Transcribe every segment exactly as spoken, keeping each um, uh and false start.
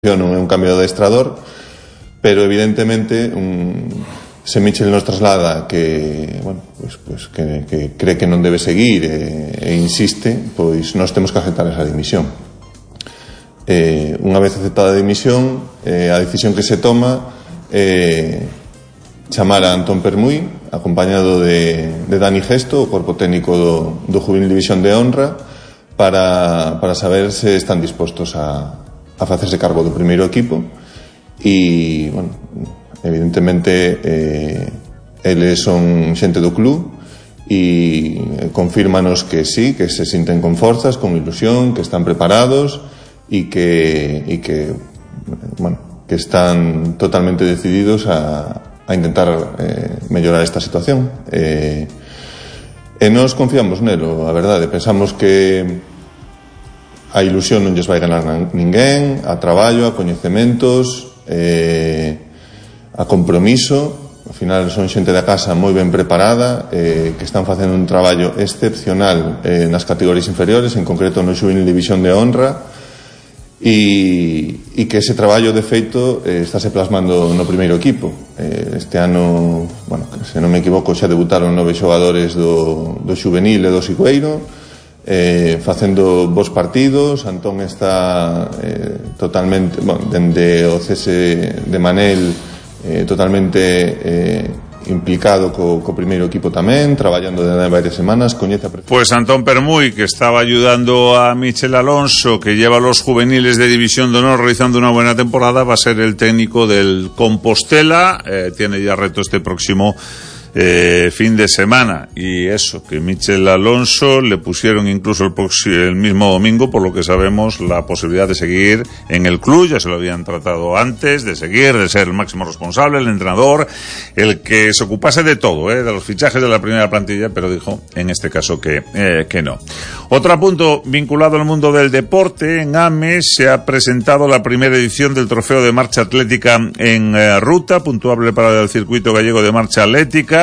non é un cambio de adestrador, pero evidentemente un, se Michel nos traslada que, bueno, pues, pues que, que cree que non debe seguir e, e insiste, pois nós temos que aceptar esa dimisión. Eh, unha vez aceptada a dimisión, eh, a decisión que se toma é eh, chamar a Antón Permuy, acompañado de, de Dani Gesto, o corpo técnico do, do Juvenil División de Honra, para, para saber se están dispostos a a facerse cargo do primeiro equipo e, bueno, evidentemente eh, eles son xente do club e confírmanos que sí, que se sinten con forzas, con ilusión, que están preparados e que, e que bueno, que están totalmente decididos a, a intentar eh, mellorar esta situación eh, e nos confiamos nelo, a verdade, pensamos que a ilusión non lles vai ganar ninguén, a traballo, a coñecementos, eh, a compromiso. Ao final son xente da casa moi ben preparada, eh, que están facendo un traballo excepcional eh, nas categorías inferiores, en concreto no Juvenil División de Honra, e, e que ese traballo de feito eh, estáse plasmando no primeiro equipo. Eh, este ano, bueno, se non me equivoco, xa debutaron nove xogadores do, do Juvenil e do Sigüeiro, Eh, facendo bons partidos. Antón está eh, totalmente, bueno, dende o cese de Manel eh, totalmente eh, implicado co, co primeiro equipo tamén, traballando desde varias semanas, coñece a... Pues Antón Permuy, que estaba ayudando a Michel Alonso, que lleva a los juveniles de División de Honor realizando una buena temporada, va a ser el técnico del Compostela, eh, tiene ya reto este próximo Eh, fin de semana, y eso, que Michel Alonso le pusieron incluso el, el mismo domingo, por lo que sabemos, la posibilidad de seguir en el club. Ya se lo habían tratado antes, de seguir, de ser el máximo responsable, el entrenador, el que se ocupase de todo, ¿eh? de los fichajes de la primera plantilla, pero dijo en este caso que, eh, que no. Otro punto vinculado al mundo del deporte: en Ames se ha presentado la primera edición del Trofeo de Marcha Atlética en eh, ruta, puntuable para el circuito gallego de marcha atlética.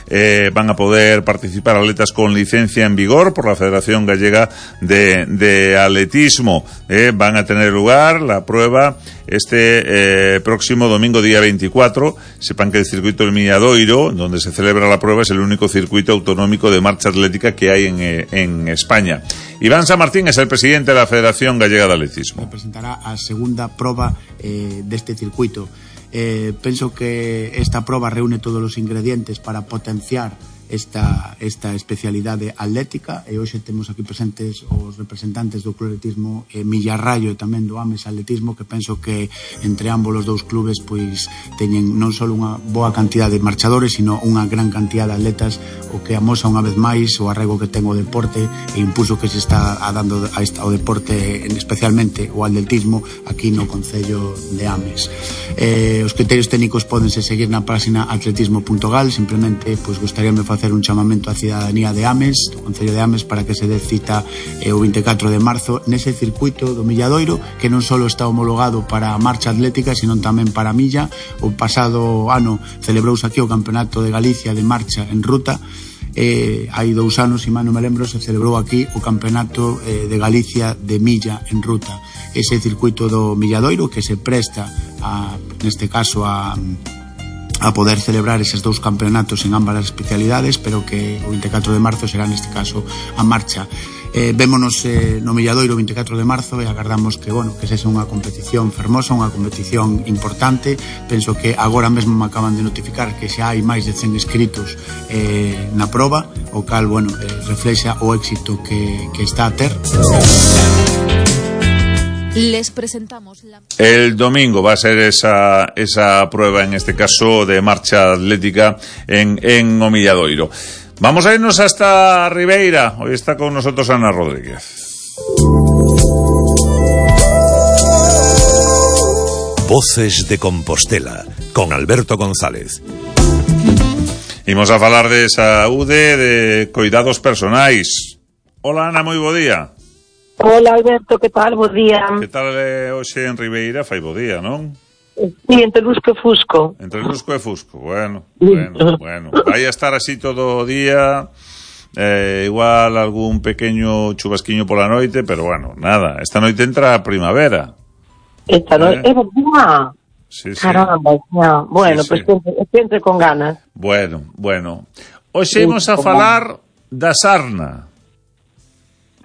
Eh, van a poder participar atletas con licencia en vigor por la Federación Gallega de, de Atletismo. Eh, van a tener lugar la prueba este eh, próximo domingo, día veinticuatro. Sepan que el circuito del Milladoiro, donde se celebra la prueba, es el único circuito autonómico de marcha atlética que hay en, eh, en España. Iván San Martín es el presidente de la Federación Gallega de Atletismo. Presentará a segunda proba eh, deste circuito. Eh, penso que esta proba reúne todos os ingredientes para potenciar esta, esta especialidade atlética, e hoxe temos aquí presentes os representantes do Club Atletismo eh, Millarrayo e tamén do Ames Atletismo, que penso que entre ambos os dous clubes pois teñen non só unha boa cantidad de marchadores, sino unha gran cantidad de atletas, o que amosa unha vez máis o arrego que ten o deporte e impulso que se está dando a esta, ao deporte, especialmente o atletismo, aquí no Concello de Ames. Eh, os criterios técnicos pódense seguir na página atletismo punto gal. Simplemente pois gustaríame facer un chamamento á cidadanía de Ames, do Concello de Ames, para que se dé cita eh, o veinticuatro de marzo nese circuito do Milladoiro, que non só está homologado para a marcha atlética, sino tamén para a milla. O pasado ano celebrouse aquí o Campeonato de Galicia de marcha en ruta. Eh, hai dous anos, se mal non me lembro, se celebrou aquí o Campeonato eh, de Galicia de milla en ruta. Ese circuito do Milladoiro que se presta a, neste caso a a poder celebrar eses dous campeonatos en ambas as especialidades, pero que o veinticuatro de marzo será neste caso a marcha. Eh, vémonos eh, no Milladoiro o veinticuatro de marzo e agardamos que, bueno, que sexa unha competición fermosa, unha competición importante. Penso que agora mesmo me acaban de notificar que xa hai máis de cen inscritos eh, na proba, o cal, bueno, eh, reflexa o éxito que, que está a ter. Les presentamos la... El domingo va a ser esa esa prueba, en este caso de marcha atlética en, en o Milladoiro. Vamos a irnos hasta Ribeira. Hoy está con nosotros Ana Rodríguez. Voces de Compostela, con Alberto González. Imos a falar de saúde, de cuidados personais. Hola Ana, moi bo día. Hola Alberto, que tal? Bo día. Que tal eh, hoxe en Ribeira? Fai bo día, non? Sí, entre Lusco e Fusco. Entre Lusco e Fusco, bueno, bueno, bueno. Vai a estar así todo o día, eh, igual algún pequeño chubasquiño pola noite, pero bueno, nada, esta noite entra a primavera. Esta non Eh? é boa. Sí, sí. Caramba, xa. Bueno, Sí, pois sí. pues, sempre con ganas. Bueno, bueno. Hoxe imos a falar da sarna.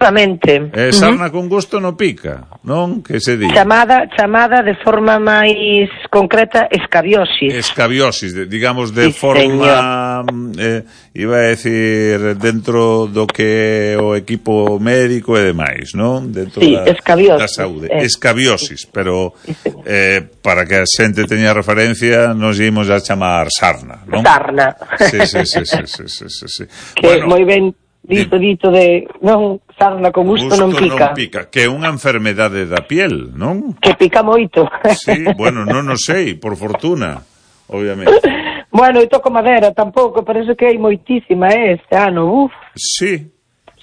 Seguramente. Eh, sarna con gusto no pica, non? Que se di? Chamada, chamada de forma máis concreta escabiosis. Escabiosis, de, digamos, de Sí, forma, eh, iba a decir, dentro do que é o equipo médico e demais, non? Dentro Sí, da, escabiosis, da saúde. eh. Escabiosis, pero eh, para que a xente teña referencia, nos ímos a chamar sarna, non? Sarna. Sí, sí, sí, sí, sí, sí, sí, sí. Que moi ben dito, dito de non sarna con gusto, gusto non pica. non pica, que é unha enfermedade da piel, non? Que pica moito. Sí, bueno, non o sei, por fortuna, obviamente. Bueno, e toco madera tampouco, parece que hai moitísima eh, este ano, uf. Sí.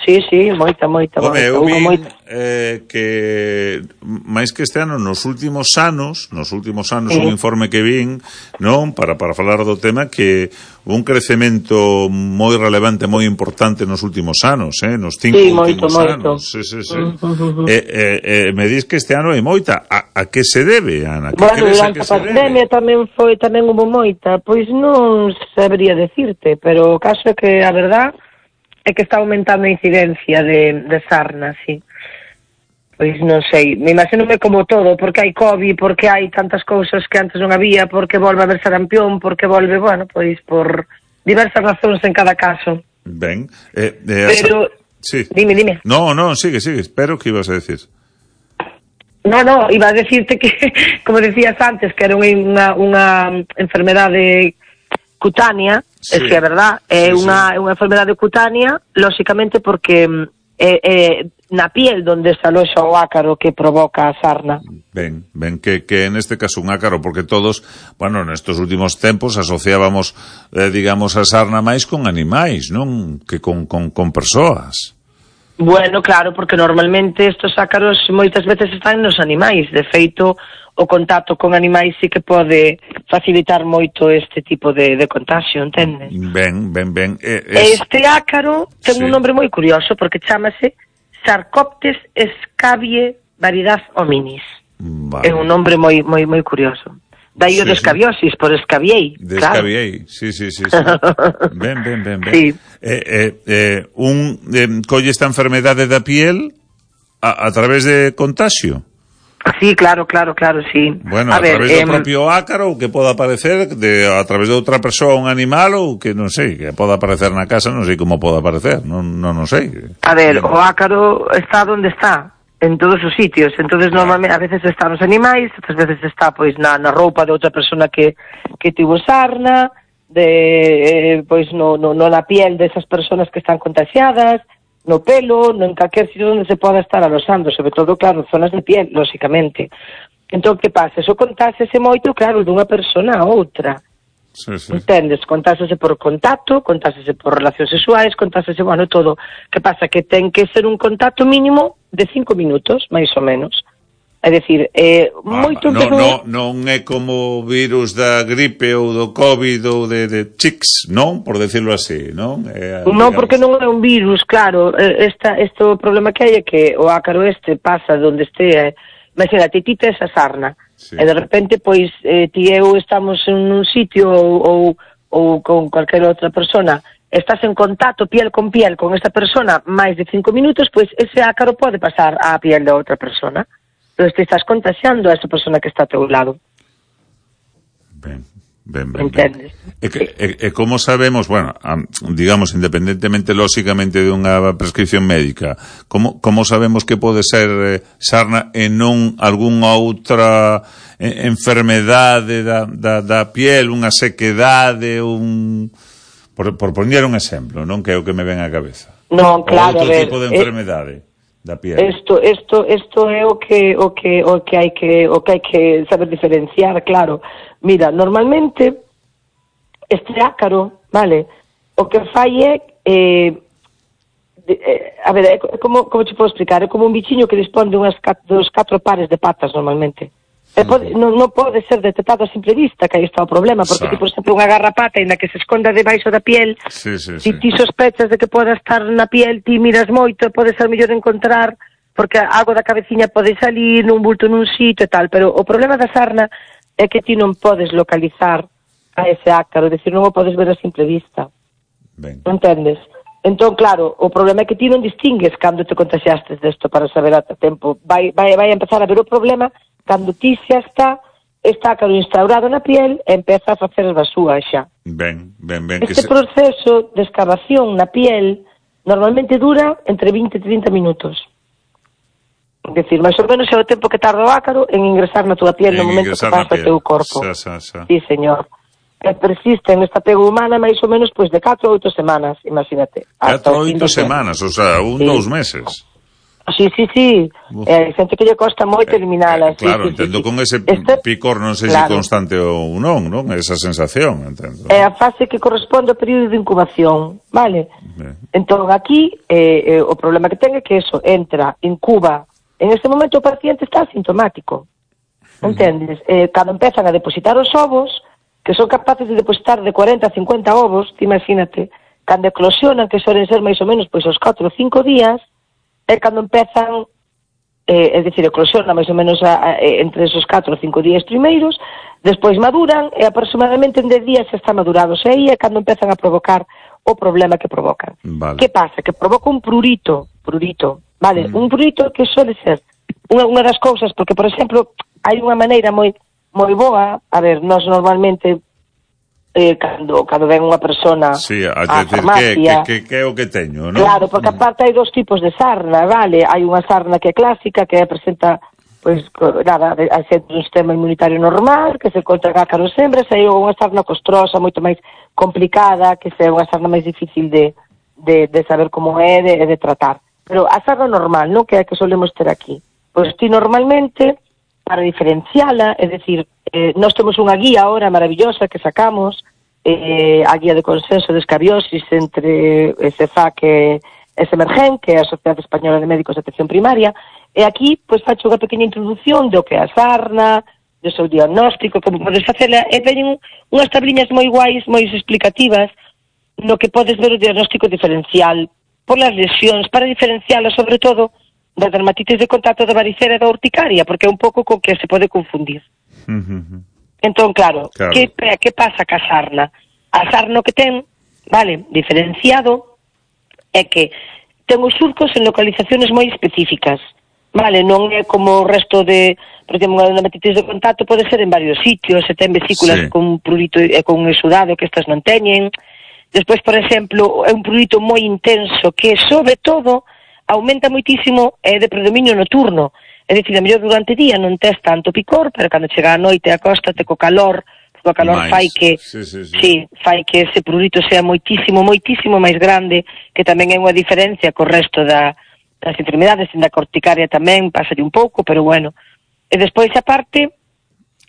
Sí, sí, moita, moita, Home, moita. eu Hubo vi moita. eh, que máis que este ano, nos últimos anos, nos últimos anos, Sí. un informe que vin, non, para para falar do tema, que un crecemento moi relevante, moi importante nos últimos anos, eh, nos cinco Sí, últimos moito, moito. anos. Sí, sí, sí. Uh, uh, uh. Eh, eh, eh, me dis que este ano hai moita. A, a que se debe, Ana? Que Bueno, crees a durante que a se pandemia debe? tamén foi, tamén hubo moita, pois non sabería decirte, pero o caso é que a verdad é que está aumentando a incidencia de, de sarna, sí. Pois non sei, me imagínome como todo, porque hai COVID, porque hai tantas cousas que antes non había, porque volve a haber sarampión, porque volve, bueno, pois por diversas razóns en cada caso. Ben, eh, eh, Pero, sí. dime, dime. No, no, sigue, sigue, espero que ibas a decir. No, no, iba a decirte que, como decías antes, que era unha, unha enfermedade cutánea, Sí. es que é verdad, é Sí, unha, sí. unha enfermedade cutánea, lóxicamente porque é, é na piel donde se aloxa o ácaro que provoca a sarna. Ben, ben, que, que en este caso un ácaro, porque todos, bueno, nestos últimos tempos asociábamos, eh, digamos, a sarna máis con animais, non? Que con, con, con persoas. Bueno, claro, porque normalmente estos ácaros moitas veces están nos animais, de feito o contacto con animais sí que pode facilitar moito este tipo de, de contagio, entendes? Ben, ben, ben. Eh, es... Este ácaro ten Sí. un nombre moi curioso porque chamase Sarcoptes escabie variedad hominis. Vale. É un nombre moi moi moi curioso. Daí o Sí, de escabiosis, por escabiei. De claro. escabiei, sí, sí, sí, sí. Ben, ben, ben, ben. Sí. Eh, eh, eh, un eh, colle esta enfermedade da piel a, a través de contagio. Sí, claro, claro, claro, sí. Bueno, a, a ver, través do em, propio ácaro, que poda aparecer de, a través de outra persoa, un animal, ou que non sei, que poda aparecer na casa, non sei como poda aparecer, non, non, non sei. A ver, o ácaro está onde está, en todos os sitios. Entonces normalmente a veces está nos animais, outras veces está pois na, na roupa de outra persona que que tivo sarna, de eh, pois no, no, no na piel desas persoas que están contagiadas, no pelo, no en calquer sitio onde se poda estar alosando, sobre todo, claro, zonas de piel, lóxicamente. Entón, que pasa? Eso contáxese moito, claro, dunha persona a outra. Sí, sí. Entendes? Contáxese por contacto, contáxese por relacións sexuais, contáxese, bueno, todo. Que pasa? Que ten que ser un contacto mínimo de cinco minutos, máis ou menos. É dicir, eh, Ah, moito no, empezou... no, non é como o virus da gripe ou do COVID ou de, de chicks, non? Por decirlo así, non? É, Non, digamos... porque non é un virus, claro. Eh, Esta, este o problema que hai é que o ácaro este pasa donde este... Eh, imagínate, ti tes a sarna, Sí. e de repente, pois, eh, ti e eu estamos en un sitio ou, ou, ou con calquer outra persona, estás en contacto piel con piel con esta persona máis de cinco minutos, pois ese ácaro pode pasar á piel da outra persona. Entón, te estás contagiando a esa persona que está a teu lado. Ben, ben, ben, ben. Entendes? E, que, e, e como sabemos, bueno, am, digamos, independentemente, lóxicamente, de unha prescripción médica, como, como sabemos que pode ser eh, sarna e non algunha outra eh, enfermedade da, da, da piel, unha sequedade, un... Por, por poñer un exemplo, non? Que é o que me ven á cabeza. Non, claro, Ou outro a ver, tipo de eh, enfermedade da piel. Isto, isto, isto é o que o que o que hai que o que hai que saber diferenciar, claro. Mira, normalmente este ácaro, vale, o que fai é eh, de, eh, a ver, é como como te podo explicar, é como un bichiño que dispón de unhas cat, dos catro pares de patas normalmente. E pode, non, non pode ser detectado a simple vista, que aí está o problema, porque Xa. ti, por exemplo, unha garrapata na que se esconda debaixo da piel, Sí, sí, si sí. ti sospechas de que poda estar na piel, ti miras moito, pode ser mellor encontrar porque a auga da cabeciña pode salir nun bulto nun sitio e tal, pero o problema da sarna é que ti non podes localizar a ese ácaro, é dicir, non o podes ver a simple vista. Ben. Non entendes? Entón, claro, o problema é que ti non distingues cando te contagiastes desto para saber a tempo. Vai, vai, vai a empezar a ver o problema cando ti xa está está ácaro instaurado na piel e empeza a facer as basúas xa. Ben, ben, ben. Este que se... proceso de excavación na piel normalmente dura entre vinte e trinta minutos. É dicir, máis ou menos é o tempo que tarda o ácaro en ingresar na túa piel no momento que pasa o teu corpo. Xa, xa, xa. Sí, señor. E persiste nesta apego humana máis ou menos pois de catro a oito semanas, imagínate. catro a oito semanas, o sea, un, sí. dous meses. Sí, sí, sí. Eh, xente que lle costa moito eliminala. Eh, claro, sí, sí, entendo sí, con ese este, picor non sei claro. se constante ou non, non? Esa sensación, entendo. É a fase que corresponde ao período de incubación, vale? Ben. Entón, aquí, eh, eh, o problema que ten é que eso entra, incuba. En este momento o paciente está asintomático. Entendes? Eh, cando empezan a depositar os ovos, que son capaces de depositar de cuarenta a cincuenta ovos, ti imagínate, cando eclosionan, que suelen ser máis ou menos pois os catro ou cinco días, é cando empezan, eh, é dicir, eclosionan máis ou menos a, a, entre esos catro ou cinco días primeiros, despois maduran e aproximadamente en dez días xa están madurados, e aí é cando empezan a provocar o problema que provocan. Vale. Que pasa? Que provoca un prurito, prurito, vale? Mm. Un prurito que suele ser unha, unha das cousas, porque, por exemplo, hai unha maneira moi moi boa, a ver, nós normalmente eh, cando, cando ven unha persona sí, a, a decir, farmacia... que, que, que é o que teño, non? Claro, porque aparte hai dos tipos de sarna, vale? Hai unha sarna que é clásica, que presenta, pois, nada, a xente un sistema inmunitario normal, que se encontra en ácaros hembras, e hai unha sarna costrosa, moito máis complicada, que é unha sarna máis difícil de, de, de saber como é, de, de tratar. Pero a sarna normal, non? Que é a que solemos ter aquí. Pois ti normalmente, para diferenciala, é dicir, eh, nós temos unha guía ahora maravillosa que sacamos, eh, a guía de consenso de escabiosis entre S F A C e Semergen, que é a Sociedade Española de Médicos de Atención Primaria, e aquí, pois, facho unha pequena introducción do que é a sarna, do seu diagnóstico, como podes facela, e veñen unhas tabliñas moi guais, moi explicativas, no que podes ver o diagnóstico diferencial polas lesións, para diferenciala, sobre todo, da dermatitis de contacto da varicela e da urticaria, porque é un pouco co que se pode confundir. Uh-huh. Entón, claro, claro. Que, que pasa ca sarna? A sarna que ten, vale, diferenciado, é que ten os surcos en localizaciones moi específicas, vale, non é como o resto de, por exemplo, unha dermatitis de contacto pode ser en varios sitios, se ten vesículas sí. con prurito e con exudado que estas non teñen. Despois, por exemplo, é un prurito moi intenso que, sobre todo, aumenta moitísimo é de predominio nocturno. É dicir, a mellor durante o día non tes tanto picor, pero cando chega a noite acóstate co calor, co calor Mais. fai que sí, sí, sí. sí, fai que ese prurito sea moitísimo, moitísimo máis grande, que tamén é unha diferencia co resto da, das enfermedades, en da corticaria tamén pasalle un pouco, pero bueno. E despois, aparte,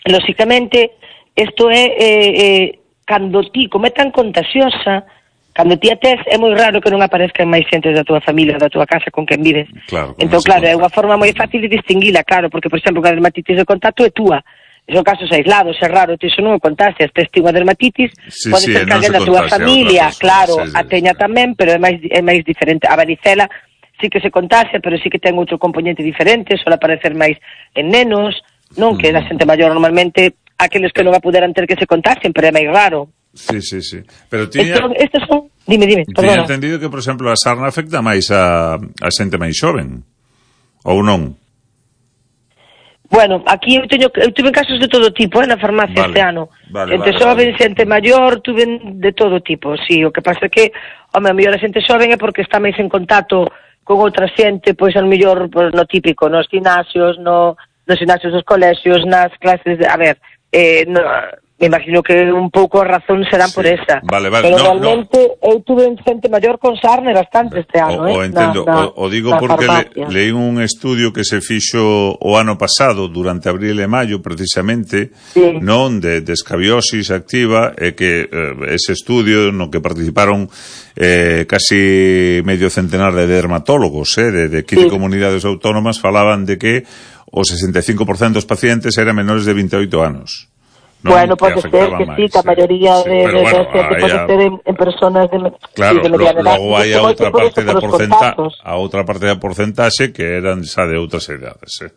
lóxicamente, isto é eh, eh, cando ti, como é tan contagiosa, cando ti a tes, é moi raro que non aparezcan máis xentes da túa familia, da túa casa con quen vives. Claro, entón, claro, é unha forma moi fácil de distinguila, claro, porque, por exemplo, a dermatitis de contacto é túa. Son casos aislados, é raro, ti iso non o contagias, tes ti unha dermatitis, sí, pode sí, ser que non alguén se da túa contagia familia, a outra claro, persona, sí, a sí, teña sí. tamén, pero é máis, é máis diferente. A varicela sí que se contagia, pero sí que ten outro componente diferente, suele aparecer máis en nenos, non que da xente maior normalmente, aqueles que non a puderan ter que se contagien, pero é máis raro. Sí, sí, sí. Pero tiña... Estos, estos son... Dime, dime, Tiña perdona. entendido que, por exemplo, a sarna afecta máis a, a xente máis xoven. Ou non? Bueno, aquí eu teño eu tuve casos de todo tipo, eh, na farmacia Vale, este ano. vale, Entre vale, xoven, vale. xente maior, tuve de todo tipo, sí. O que pasa é que, home, a mellor a xente xoven é porque está máis en contacto con outra xente, pois, a mellor, pois, no típico, nos gimnasios, no, nos gimnasios dos colexios, nas clases de... A ver, eh, no, me imagino que un pouco a razón serán Sí, por esa. vale, vale, Pero no, realmente eu tuve xente maior con sarna bastante este ano, o, eh. o entendo, na, na, o, o digo na porque le, farmacia. leí un estudio que se fixo o ano pasado durante abril e maio precisamente, Sí. non, de, de escabiosis activa, e que eh, ese estudio no que participaron eh, casi medio centenar de dermatólogos, eh, de, de quince Sí. comunidades autónomas, falaban de que o sesenta e cinco por cento dos pacientes eran menores de veintioito anos. non? Bueno, pode ser que sí, que a maioría sí, de, pero de, bueno, de xente pode a... ser en, en personas de, claro, sí, de mediana edad. Logo hai a outra parte da porcenta, contactos. a outra parte da porcentaxe que eran xa de outras edades, eh.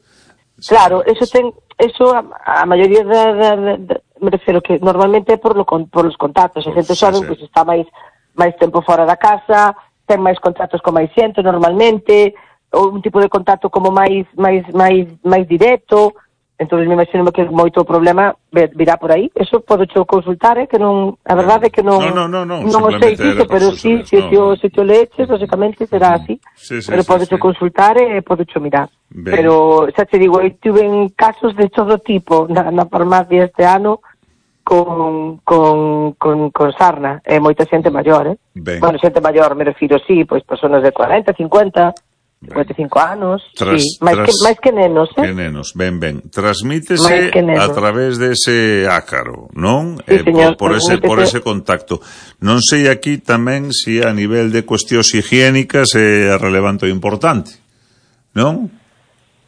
Claro, eso ten, eso a, a maioría da, da, da, da, me refiro que normalmente é por, lo, por los contactos, a xente xoven, pois está máis máis tempo fora da casa, ten máis contactos con máis xente normalmente, ou un tipo de contacto como máis máis máis máis directo. Entón, me imagino que moito problema virá por aí. Eso podo cho consultar, eh, que non, a verdade é que non no, no, no, non o sei disso, pero sí, se o se te leches, basicamente será así. Sí, sí, pero sí, podo sí. cho consultar e podo cho mirar. Ben. Pero, xa te digo, eu tuve casos de todo tipo na, na farmacia este ano con, con, con, con sarna, e moita xente maior, eh? Ben. Bueno, xente maior, me refiro, sí, pois personas de cuarenta, cincuenta, cincuenta e cinco anos, Tras, sí, máis, tras, que, máis que nenos, eh? Que nenos, ben, ben. Transmítese a través dese ácaro, non? Sí, eh, señor, por, por, ese, por ese contacto. Non sei aquí tamén se si a nivel de cuestións higiénicas é relevante ou importante, non?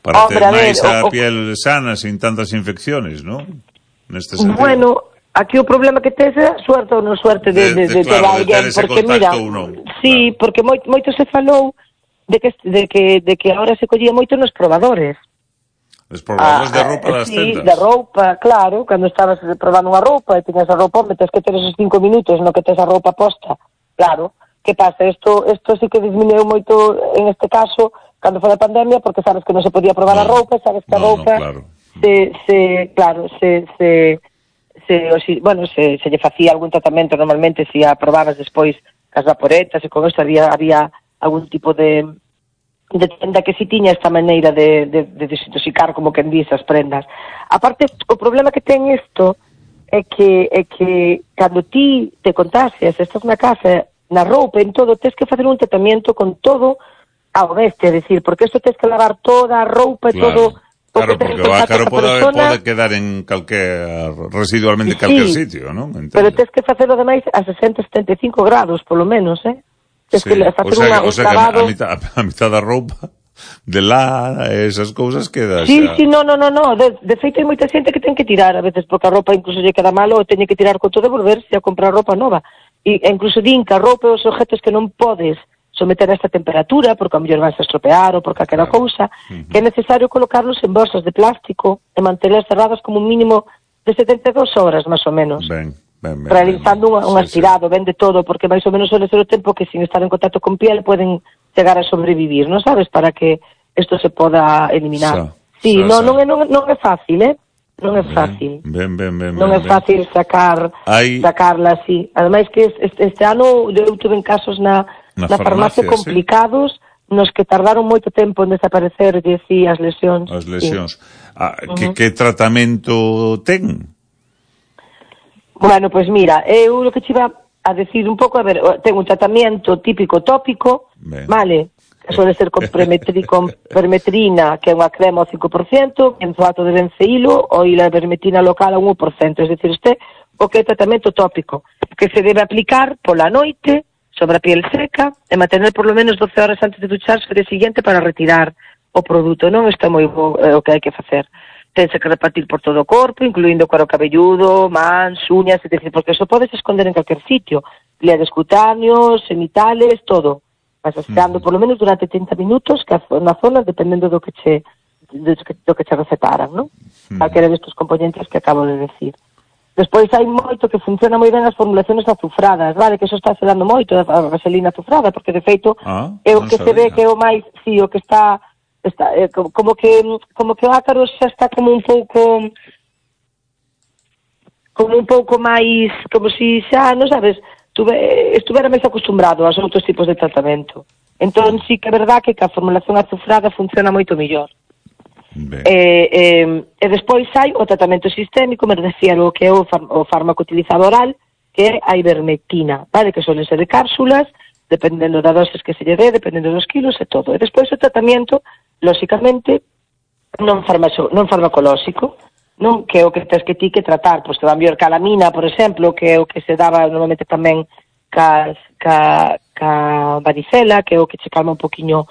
Para Hombre, ter máis a, ver, a o, piel sana, sin tantas infecciones, non? Neste sentido. Bueno, aquí o problema que tes é suerte ou non suerte de, de, de, de, de, claro, ter alguén, de ter porque mira, non, sí, claro. porque moito, moito se falou de que, de que de que ahora se collía moito nos probadores. Os probadores ah, de roupa das sí, tendas. de roupa, claro, cando estabas probando unha roupa e tiñas a roupa, metes que ter esos cinco minutos no que tes a roupa posta. Claro, que pasa? Isto, isto sí que disminuiu moito en este caso cando foi a pandemia, porque sabes que non se podía probar no, a roupa, sabes que a no, roupa no, claro. se, se, claro, se, se, se, o si, bueno, se, se lle facía algún tratamento normalmente, se a probabas despois cas vaporetas e con isto había, había algún tipo de, de tenda que si tiña esta maneira de, de, de desintoxicar, como que dice, as prendas. Aparte, o problema que ten isto é que, é que cando ti te contagias, estás na casa, na roupa, en todo, tens que facer un tratamento con todo ao bestia, é dicir, porque isto tens que lavar toda a roupa e claro. todo. Claro, porque o ácaro pode, pode quedar en calquer, residualmente en calquer sí, sitio, non? Entendo. Pero tens que facelo ademais a sesenta, setenta e cinco grados, polo menos, eh? Tens sí. que facer o sea, unha, o sea lavado... que a mitad, a mitad da roupa de lá, esas cousas queda Sí, xa... sí, no, no, no, no. De, de feito hai moita xente que ten que tirar, a veces porque a roupa incluso lle queda malo ou teñe que tirar con todo e volverse a comprar roupa nova. E, e incluso din que a roupa e os objetos que non podes someter a esta temperatura, porque a mellor vais a estropear ou porque aquela claro. cousa, uh-huh. que é necesario colocarlos en bolsas de plástico e mantelas cerradas como un mínimo de setenta e dúas horas, máis ou menos. Ben, ben, ben, realizando ben, ben. un, un aspirado, sí, sí. Ben de todo, porque máis ou menos suele ser o tempo que sin estar en contacto con piel poden chegar a sobrevivir, non sabes? Para que isto se poda eliminar. Sa, sí, sa, non, sa. non, é, non, non é fácil, eh? Non é fácil. Ben, ben, ben, non ben, é fácil sacar Hay... sacarla así. Ademais que este, este ano eu tuve en casos na Na, na farmacia, farmacia complicados, sí, nos que tardaron moito tempo en desaparecer, dicía, as lesións. As lesións. Sí. Ah, uh-huh. que, que tratamento ten? Bueno, pois pues mira, eu o que te iba a decir un pouco, a ver, ten un tratamento típico tópico, ben. Vale, que suele ser con, premetri, con permetrina, que é unha crema ao cinco por cento, benzoato de benceílo, ou a vermetina local ao un por cento, é dicir, este o que é tratamento tópico, que se debe aplicar pola noite, sobre a piel seca, e mantener por lo menos doce horas antes de ducharse o día siguiente para retirar o produto, non? Isto é moi bo, é o que hai que facer. Tense que repartir por todo o corpo, incluindo cuero cabelludo, mans, uñas, é dicir, porque eso podes esconder en calquer sitio, pliegues cutáneos, genitales, todo. Vas asexando por lo menos durante trinta minutos que na zona, dependendo do que che, do que, do que che recetaran, non? Mm. Calquera destes componentes que acabo de decir. Despois hai moito que funciona moi ben as formulaciones azufradas, vale, que eso está se dando moito, a vaselina azufrada, porque de feito ah, é o que sabía. Se ve que é o máis, sí, o que está, está eh, como que como que o ácaro xa está como un pouco como un pouco máis, como si xa, non sabes, tuve, estuvera máis acostumbrado aos outros tipos de tratamento. Entón sí que é verdad que a formulación azufrada funciona moito mellor. E, e, e despois hai o tratamento sistémico, me decía o que é o, far, o fármaco utilizado oral, que é a ivermectina, vale, que suelen ser de cápsulas, dependendo da doses que se lle dé, dependendo dos kilos e todo. E despois o tratamento, lóxicamente, non, farmaco, non farmacolóxico, non que é o que tens que ti que tratar, pois te van mellor calamina, por exemplo, que é o que se daba normalmente tamén ca, ca, ca varicela, que é o que che calma un poquinho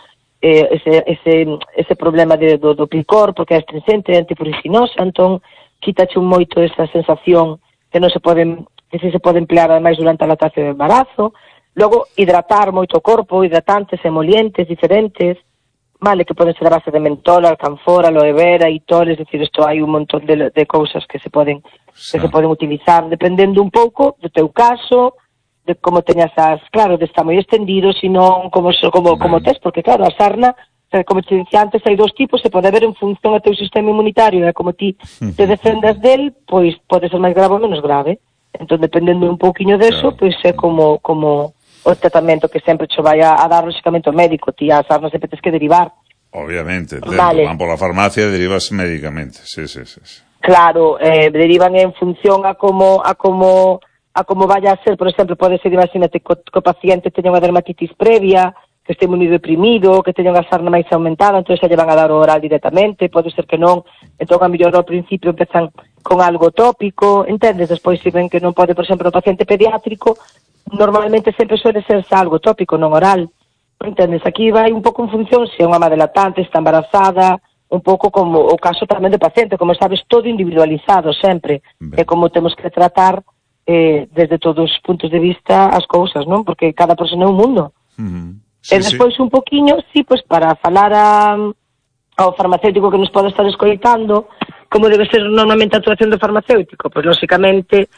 Eh, ese, ese, ese problema de, do, do picor, porque é astringente, é antipuricinosa, entón quítache un moito esa sensación que non se pode, que si se pode emplear ademais durante a lactación do embarazo. Logo, hidratar moito o corpo, hidratantes, emolientes diferentes, vale, que poden ser a base de mentol, alcanfor, aloe vera, itol, es decir, isto hai un montón de, de cousas que se poden sí. que se poden utilizar, dependendo un pouco do teu caso, de como teñas as, claro, de estar moi extendido, sino como como como tes, porque claro, a sarna, como te dicía antes, hai dos tipos, se pode ver en función ao teu sistema inmunitario, e como ti te defendas del, pois pode ser máis grave ou menos grave. Entón, dependendo un pouquiño deso, claro. pois é como como o tratamento que sempre che vai a, a dar, lógicamente, o médico. Ti a sarna sempre tes que derivar. Obviamente, vale. Van por la farmacia e derivas médicamente, sí, sí, sí. sí. Claro, eh, derivan en función a como a como a como vaya a ser, por exemplo, pode ser, imagínate, que o paciente teña unha dermatitis previa, que este moi deprimido, que teña unha sarna máis aumentada, entón xa lle van a dar o oral directamente, pode ser que non, entón a mellor ao principio empezan con algo tópico, entendes? Despois se ven que non pode, por exemplo, o paciente pediátrico, normalmente sempre suele ser algo tópico, non oral, entendes? Aquí vai un pouco en función se é unha madre lactante, está embarazada, un pouco como o caso tamén do paciente, como sabes, todo individualizado sempre, é como temos que tratar eh, desde todos os puntos de vista as cousas, non? Porque cada persona é un mundo. Uh-huh. Sí, e despois sí. un poquinho, sí, pois para falar a, ao farmacéutico que nos pode estar escoitando, como debe ser normalmente a actuación do farmacéutico, pois lógicamente,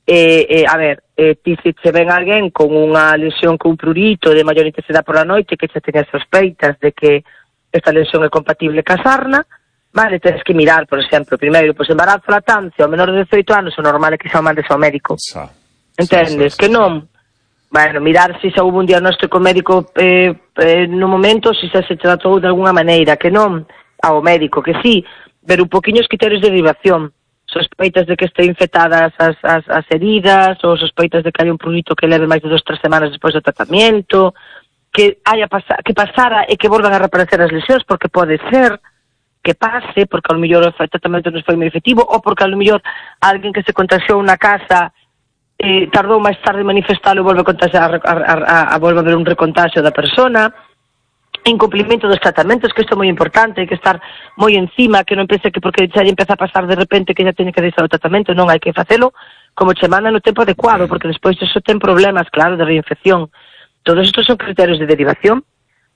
eh, eh, a ver, eh, ti se che ven alguén con unha lesión con prurito de maior intensidade por a noite, que xa teña sospeitas de que esta lesión é compatible ca sarna, vale, tens que mirar, por exemplo, primeiro, pois embarazo, lactancia, ao menor de dezoito anos, o normal é que xa o mandes ao médico. Sa. Entendes? Sa, sa, sa, que non? Bueno, mirar se xa hubo un diagnóstico médico eh, eh, no momento, se xa se tratou de alguna maneira, que non ao médico, que sí, ver un poquinho os criterios de derivación, sospeitas de que este infectadas as, as, as heridas, ou sospeitas de que hai un prurito que leve máis de dos, tres semanas despois do tratamento, que haya pasa, que pasara e que volvan a reaparecer as lesións, porque pode ser que pase, porque ao mellor o tratamento non foi moi efectivo, ou porque ao mellor alguén que se contagiou na casa eh, tardou máis tarde en manifestalo e volve a contagiar, a, a, a, a volve a haber un recontagio da persona, incumplimento dos tratamentos, que isto é moi importante, hai que estar moi encima, que non pense que porque xa lle empeza a pasar de repente que xa teñe que deixar o tratamento, non, hai que facelo como che manda no tempo adecuado, porque despois iso ten problemas, claro, de reinfección. Todos estos son criterios de derivación,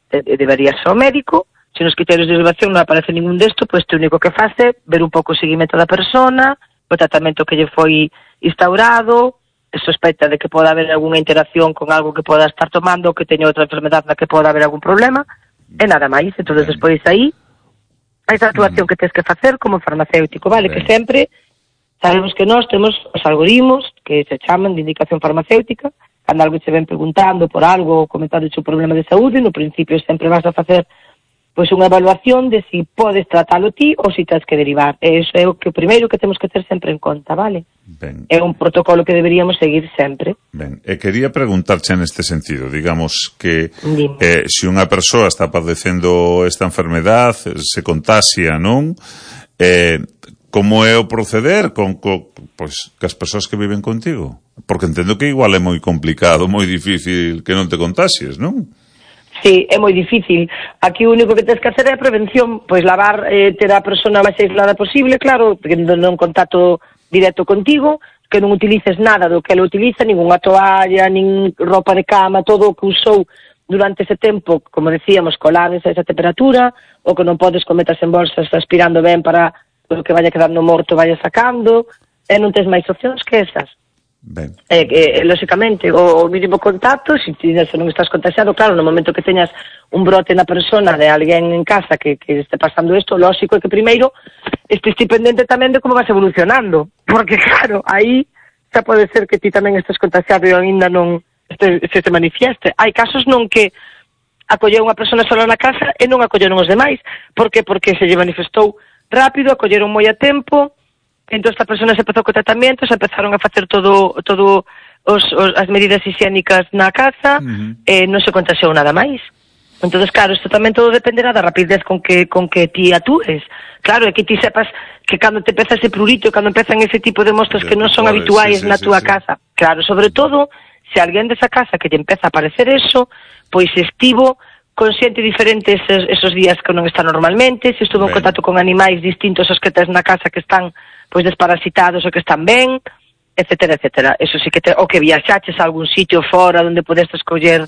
de, de, debería ser o médico. Se nos criterios de derivación non aparece ningún desto, pois te único que faz é ver un pouco o seguimento da persona, o tratamento que lle foi instaurado, sospeita de que poda haber algunha interacción con algo que poda estar tomando, que teña outra enfermedade na que poda haber algún problema, e nada máis. Entón, despois aí, a esa actuación que tens que facer como farmacéutico, vale? Que sempre sabemos que nós temos os algoritmos que se chaman de indicación farmacéutica, cando algo se ven preguntando por algo ou comentando o problema de saúde, no principio sempre vas a facer pois unha evaluación de si podes tratalo ti ou si tens que derivar. E iso é o que o primeiro que temos que ter sempre en conta, vale? Ben. É un protocolo que deberíamos seguir sempre. Ben, e quería preguntarche neste sentido, digamos que eh, se unha persoa está padecendo esta enfermedad, se contagia, non? Eh, como é o proceder con, con pois, que as persoas que viven contigo? Porque entendo que igual é moi complicado, moi difícil que non te contaxies, non? Sí, é moi difícil. Aquí o único que tens que hacer é a prevención, pois lavar, eh, ter a persona máis aislada posible, claro, que non contacto directo contigo, que non utilices nada do que ela utiliza, ninguna toalla, nin roupa de cama, todo o que usou durante ese tempo, como decíamos, colares a esa temperatura, o que non podes cometas en bolsas aspirando ben para o que vaya quedando morto vaya sacando, e non tens máis opcións que esas. Ben. Eh, eh, lógicamente, o, o mínimo contacto, se, se non estás contagiado, claro, no momento que teñas un brote na persona de alguén en casa que, que este pasando isto, lógico é que primeiro estes pendente tamén de como vas evolucionando, porque claro, aí xa pode ser que ti tamén estés contagiado e ainda non este, se te manifieste. Hai casos non que acolleu unha persona sola na casa e non acolleron os demais. Por que? Porque se lle manifestou rápido, acolleron moi a tempo. Entón, esta persona se empezou co tratamento, se empezaron a facer todo, todo os, os, as medidas higiénicas na casa, uh-huh. e non se contagiou nada máis. Entón, claro, isto tamén todo dependerá da rapidez con que, con que ti atúes. Claro, é que ti sepas que cando te empeza ese prurito, cando empezan ese tipo de mostras que non son habituais sí, sí, na túa sí, casa. Sí. Claro, sobre todo, se alguén desa casa que te empeza a aparecer eso, pois estivo con xente diferente esos, esos días que non está normalmente, se estuvo en contacto con animais distintos aos que tes na casa que están pois desparasitados ou que están ben, etcétera, etcétera. Eso sí que te, o que viaxaches a algún sitio fora onde podeste escoller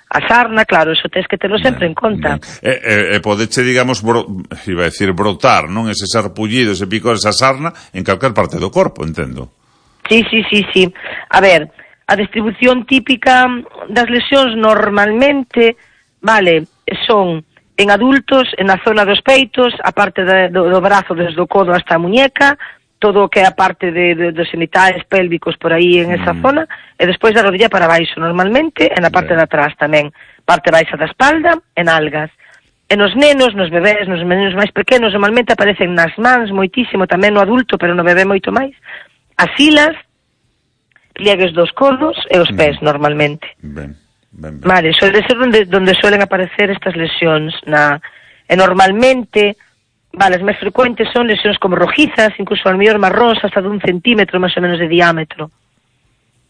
a sarna, claro, eso tens que terlo sempre ben, en conta. E, e, e podeche, digamos, bro, iba a decir brotar, non? Ese sarpullido, ese picor, esa sarna en calquer parte do corpo, entendo. Sí, sí, sí, sí. A ver, a distribución típica das lesións normalmente, vale, son en adultos, en a zona dos peitos, a parte de, do, do brazo desde o codo hasta a muñeca, todo o que é a parte de, de, dos genitales pélvicos por aí en esa mm. zona, e despois da rodilla para baixo normalmente, e na parte de atrás tamén, parte baixa da espalda, en algas. E nos nenos, nos bebés, nos meninos máis pequenos, normalmente aparecen nas mans moitísimo, tamén no adulto, pero no bebé moito máis, as filas, pliegues dos codos e os pés mm. normalmente. Ben. Ben, ben. Vale, suele ser donde, donde suelen aparecer estas lesións na, e normalmente, vale, as máis frecuentes son lesións como rojizas, incluso al mellor marróns hasta de un centímetro máis ou menos de diámetro.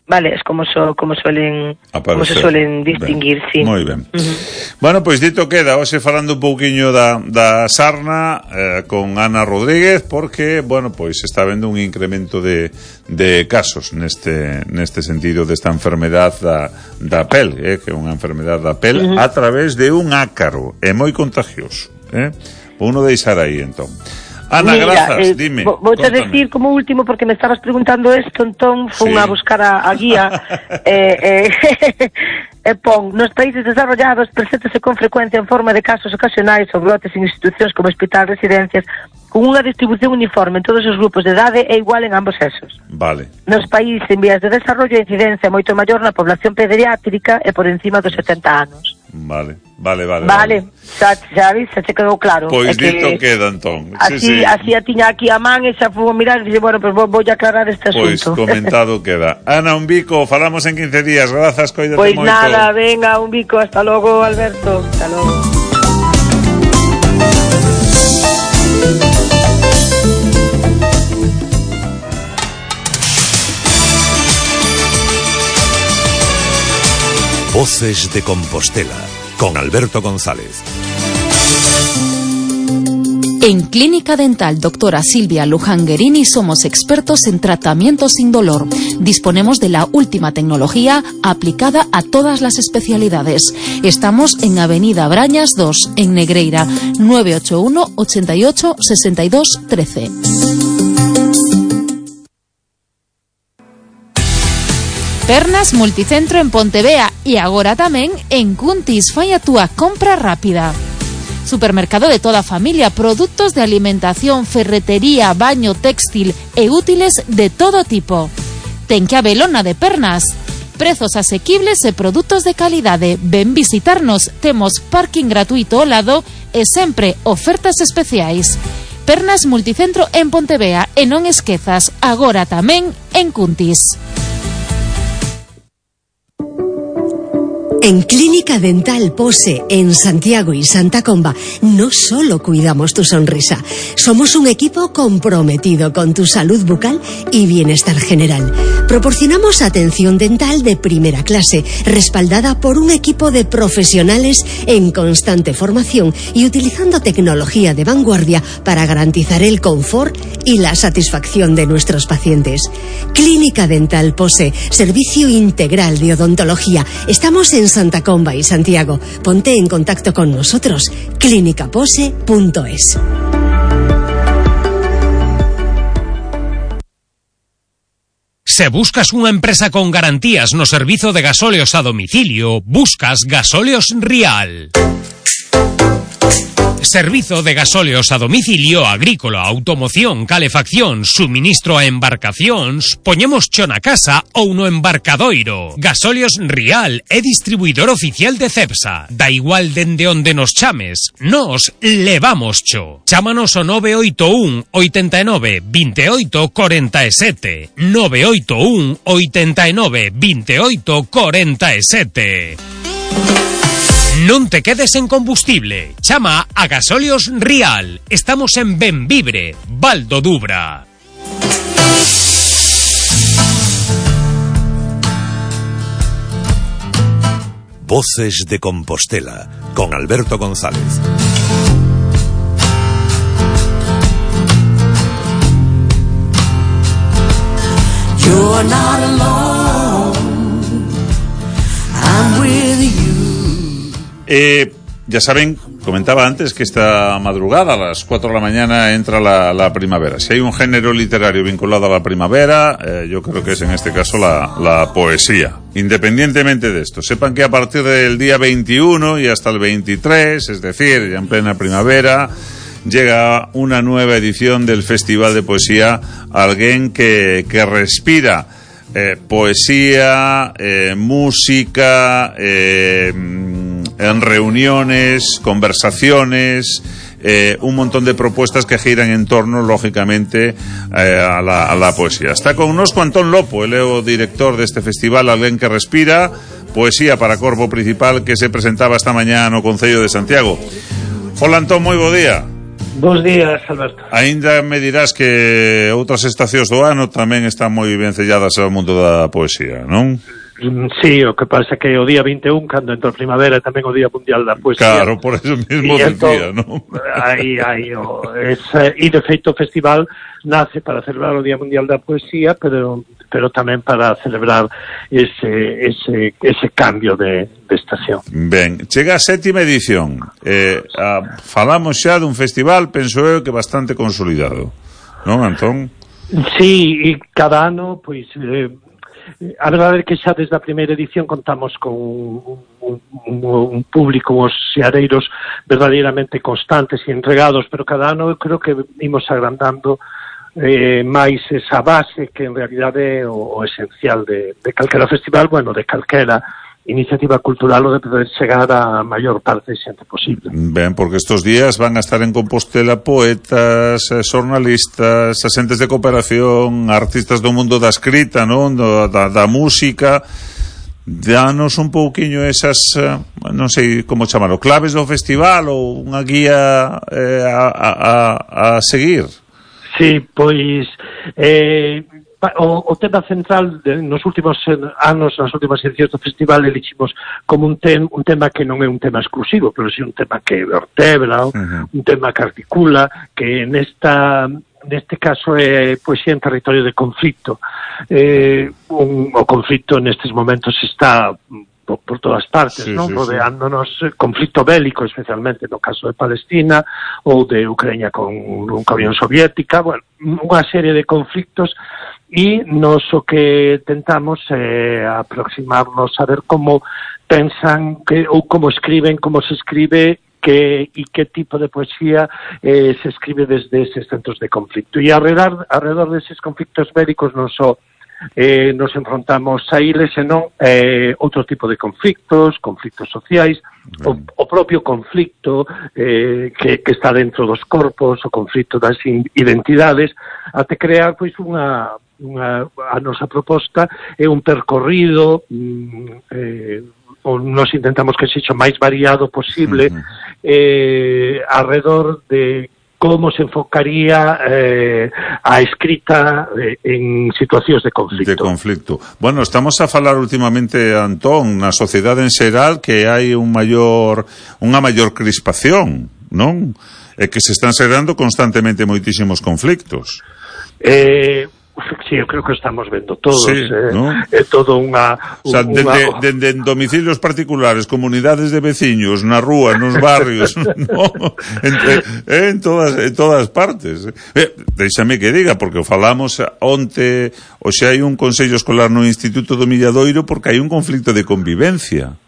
Vale, es como, so, como suelen aparecer. Como se suelen distinguir, ben. Sí. Moi ben. Uh-huh. Bueno, pois dito queda, hoxe falando un pouquiño da, da sarna eh, con Ana Rodríguez, porque, bueno, pois está habendo un incremento de, de casos neste, neste sentido desta enfermedad da, da pel, eh, que é unha enfermedad da pel uh-huh. a través de un ácaro, é moi contagioso, eh? Uno deixar aí, entón. Ana, mira, grazas, eh, dime. Vou a decir como último, porque me estabas preguntando esto, entón fun sí. a buscar a, a guía e eh, eh, eh, pon, nos países desarrollados preséntase con frecuencia en forma de casos ocasionais ou brotes en institucións como hospital, residencias, con unha distribución uniforme en todos os grupos de idade e igual en ambos sexos. Vale. Nos países en vías de desarrollo a incidencia é moito maior na población pediátrica e por encima dos setenta anos. Vale, vale, vale. Vale, xa, xa vis, xa te quedou claro. Pois que dito queda, entón. Así, sí, sí. así a tiña aquí a man e xa fui a mirar e dixo, bueno, pues vou, vou a aclarar este pois asunto. Pois comentado queda. Ana, un bico, falamos en quince días, grazas, coídate pois moito. Pois nada, venga, un bico, hasta logo, Alberto, hasta logo. Voces de Compostela, con Alberto González. En Clínica Dental Doctora Silvia Lujanguerini somos expertos en tratamiento sin dolor. Disponemos de la última tecnología aplicada a todas las especialidades. Estamos en Avenida Brañas dos, en Negreira, nueve ocho uno, ochenta y ocho, sesenta y dos, trece. Pernas Multicentro en Pontevea e agora tamén en Cuntis. Fai a túa compra rápida. Supermercado de toda familia, productos de alimentación, ferretería, baño, textil e útiles de todo tipo. Ten que Abelona de Pernas. Prezos asequibles e produtos de calidade. Ven visitarnos, temos parking gratuito ao lado e sempre ofertas especiais. Pernas Multicentro en Pontevea e non esquezas, agora tamén en Cuntis. En Clínica Dental Pose, en Santiago y Santa Comba, no solo cuidamos tu sonrisa, somos un equipo comprometido con tu salud bucal y bienestar general. Proporcionamos atención dental de primera clase, respaldada por un equipo de profesionales en constante formación y utilizando tecnología de vanguardia para garantizar el confort y la satisfacción de nuestros pacientes. Clínica Dental Pose, servicio integral de odontología. Estamos en Santa Comba y Santiago. Ponte en contacto con nosotros. clínica pose punto es. Se buscas unha empresa con garantías no servizo de gasóleos a domicilio, buscas Gasóleos Rial. Servizo de gasóleos a domicilio, agrícola, automoción, calefacción, suministro a embarcacións, poñemos cho na casa ou no embarcadoiro. Gasóleos Rial é distribuidor oficial de Cepsa. Da igual dende onde nos chames, nos levamos cho. Chámanos o nove oito un, oitenta e nove, vinte e oito, corenta e sete. nove oito un, oitenta e nove, vinte e oito, corenta e sete. Non te quedes en combustible. Chama a Gasóleos Rial. Estamos en Benvibre, Val do Dubra. Voces de Compostela, con Alberto González. You're not alone, I'm with you. Eh, ya saben, comentaba antes que esta madrugada a las cuatro de la mañana entra la, la primavera. Si hay un género literario vinculado a la primavera, eh, yo creo que es en este caso la, la poesía. Independientemente de esto, sepan que a partir del día veintiuno y hasta el veintitrés, es decir, ya en plena primavera, llega una nueva edición del Festival de Poesía Alguén que, que respira eh, poesía, eh, música, eh, en reuniones, conversaciones, eh, un montón de propuestas que giran en torno, lógicamente, eh, a, la, a la poesía. Está con nosotros Antón Lopo, el Leo director de este festival Alguén que respira, poesía para corpo principal, que se presentaba esta mañá no Concello de Santiago. Hola Antón, moi bo día. Bos días, Alberto. Ainda me dirás que outras estacións do ano tamén están moi vencelladas ao mundo da poesía, non? Sí, o que pasa que o día vinte e un, cando entra a primavera, tamén o Día Mundial da Poesía. Claro, por eso mismo decía, non? Aí, aí, o, ese, e de feito o festival nace para celebrar o Día Mundial da Poesía, pero pero tamén para celebrar ese ese ese cambio de, de estación. Ben, chega a sétima edición. Eh, a, falamos xa dun festival, penso eu, que bastante consolidado, non, Antón? Sí, e cada ano, pois... Eh, a verdade é que xa desde a primeira edición contamos con un, un, un público, os seareiros verdadeiramente constantes e entregados, pero cada ano eu creo que imos agrandando eh, máis esa base que en realidade é o, o esencial de, de calquera festival, bueno, de calquera iniciativa cultural, o de poder chegar a maior parte de xente posible. Ben, porque estos días van a estar en Compostela poetas, xornalistas, asentes de cooperación, artistas do mundo da escrita, non? Da, da, da música. Danos un pouquiño esas, non sei como chamalo, claves do festival ou unha guía eh, a, a, a seguir. Sí, pois... Eh, O, o tema central de, nos últimos anos, nas últimas edicións do festival, eliximos como un, tem, un tema que non é un tema exclusivo, pero sí un tema que vertebra, uh-huh. un tema que articula, que nesta neste caso é poesía en territorio de conflito. Eh, un, o conflito nestes momentos está por, por todas partes, sí, non? Sí, rodeándonos sí. Conflito bélico, especialmente no caso de Palestina ou de Ucrania con, con a Unión Soviética, bueno, unha serie de conflictos. E nos o que tentamos é eh, aproximarnos a ver como pensan que, ou como escriben, como se escribe que, e que tipo de poesía eh, se escribe desde eses centros de conflicto. E alrededor, alrededor deses conflictos bélicos non só eh, nos enfrontamos a iles, senón eh, outro tipo de conflictos, conflictos sociais, o, o propio conflicto eh, que, que está dentro dos corpos, o conflicto das identidades, até crear pois unha Unha, a nosa proposta é un percorrido mm, eh, o nos intentamos que sexa o máis variado posible uh-huh. eh, alrededor de como se enfocaría eh, a escrita eh, en situacións de conflicto. De conflicto. Bueno, estamos a falar últimamente, Antón, na sociedade en xeral que hai un maior, unha maior crispación, non? E que se están xerando constantemente moitísimos conflictos. Eh... Sí, eu creo que estamos vendo todos, sí, eh, ¿no? É todo unha... O sea, dende, una... dende domicilios particulares, comunidades de veciños, na rúa, nos barrios, no? Entre, eh, en, todas, en todas partes. Eh, déixame que diga, porque falamos onte, o xa hai un consello escolar no Instituto do Milladoiro porque hai un conflicto de convivencia.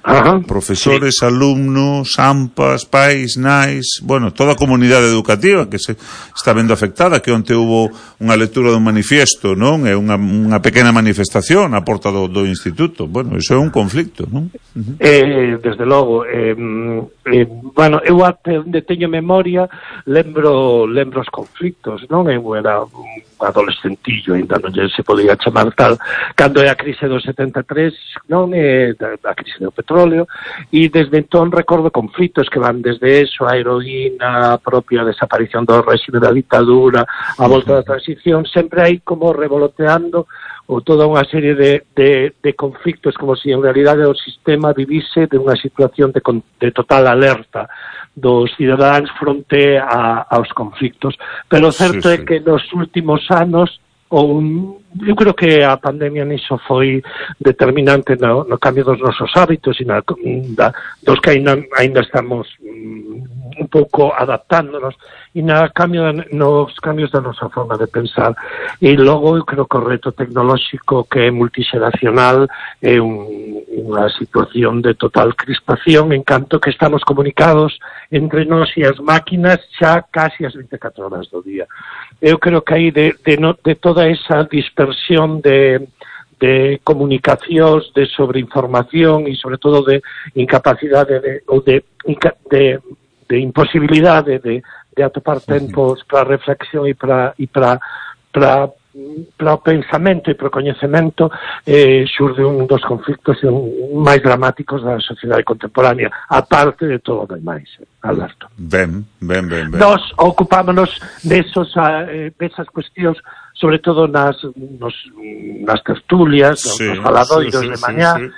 Ajá, profesores, sí. Alumnos, AMPAs, pais, nais, bueno, toda a comunidade educativa que se está vendo afectada, que onte hubo unha lectura dun manifiesto, non? É unha, unha pequena manifestación á porta do, do instituto. Bueno, iso é un conflicto, non? Uh-huh. Eh, desde logo, eh, eh, bueno, eu até onde teño memoria lembro, lembro os conflictos, non? Eu era un adolescentillo, ainda non se podía chamar tal, cando é a crise do setenta e tres, non é a crise do petróleo, e desde entón recordo conflitos que van desde eso, a heroína, a propia desaparición do réxime da ditadura, a volta da transición, sempre hai como revoloteando ou toda unha serie de, de, de conflictos, como se si en realidade o sistema vivise de unha situación de, de total alerta dos cidadáns fronte a, aos conflictos. Pero o certo sí, sí. é que nos últimos anos, ou eu creo que a pandemia niso foi determinante no, no cambio dos nosos hábitos e na, da, dos que ainda, ainda estamos um, un pouco adaptándonos e na cambio, nos cambios da nosa forma de pensar. E logo eu creo que o reto tecnolóxico que é multixeracional é un, unha situación de total crispación en canto que estamos comunicados entre nós e as máquinas xa casi as vinte e catro horas do día. Eu creo que aí de, de, no, de toda esa dispersión de, de comunicacións, de sobreinformación e sobre todo de incapacidade de, ou de, de, de imposibilidade de, de atopar tempos para reflexión e para, e para, para para o pensamento e para o coñecemento eh, xurde un dos conflictos máis dramáticos da sociedade contemporánea, aparte de todo o demais, Alberto. Ben, ben, ben, ben. Nos ocupámonos desos, eh, desas cuestións, sobre todo nas, nos, nas tertulias, sí, nos faladoiros sí, sí, de mañá, sí, sí.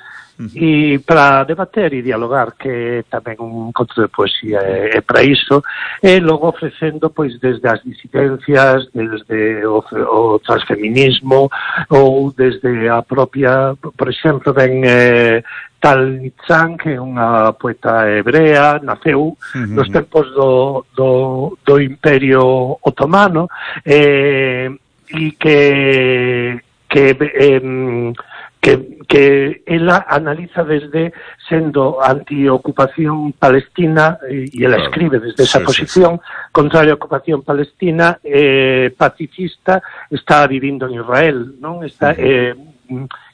E para debater e dialogar, que tamén un encontro de poesía é, é para iso, e logo ofrecendo pois desde as disidencias, desde o, o transfeminismo ou desde a propia, por exemplo, ben eh, Tal Nitzan, que é unha poeta hebrea, naceu uh-huh. nos tempos do, do, do Imperio Otomano, eh, e que que eh, que, que ela analiza desde sendo anti-ocupación palestina e ela claro. escribe desde esa sí, posición sí, sí. contraria a ocupación palestina, eh, pacifista, está vivindo en Israel, non? Está eh,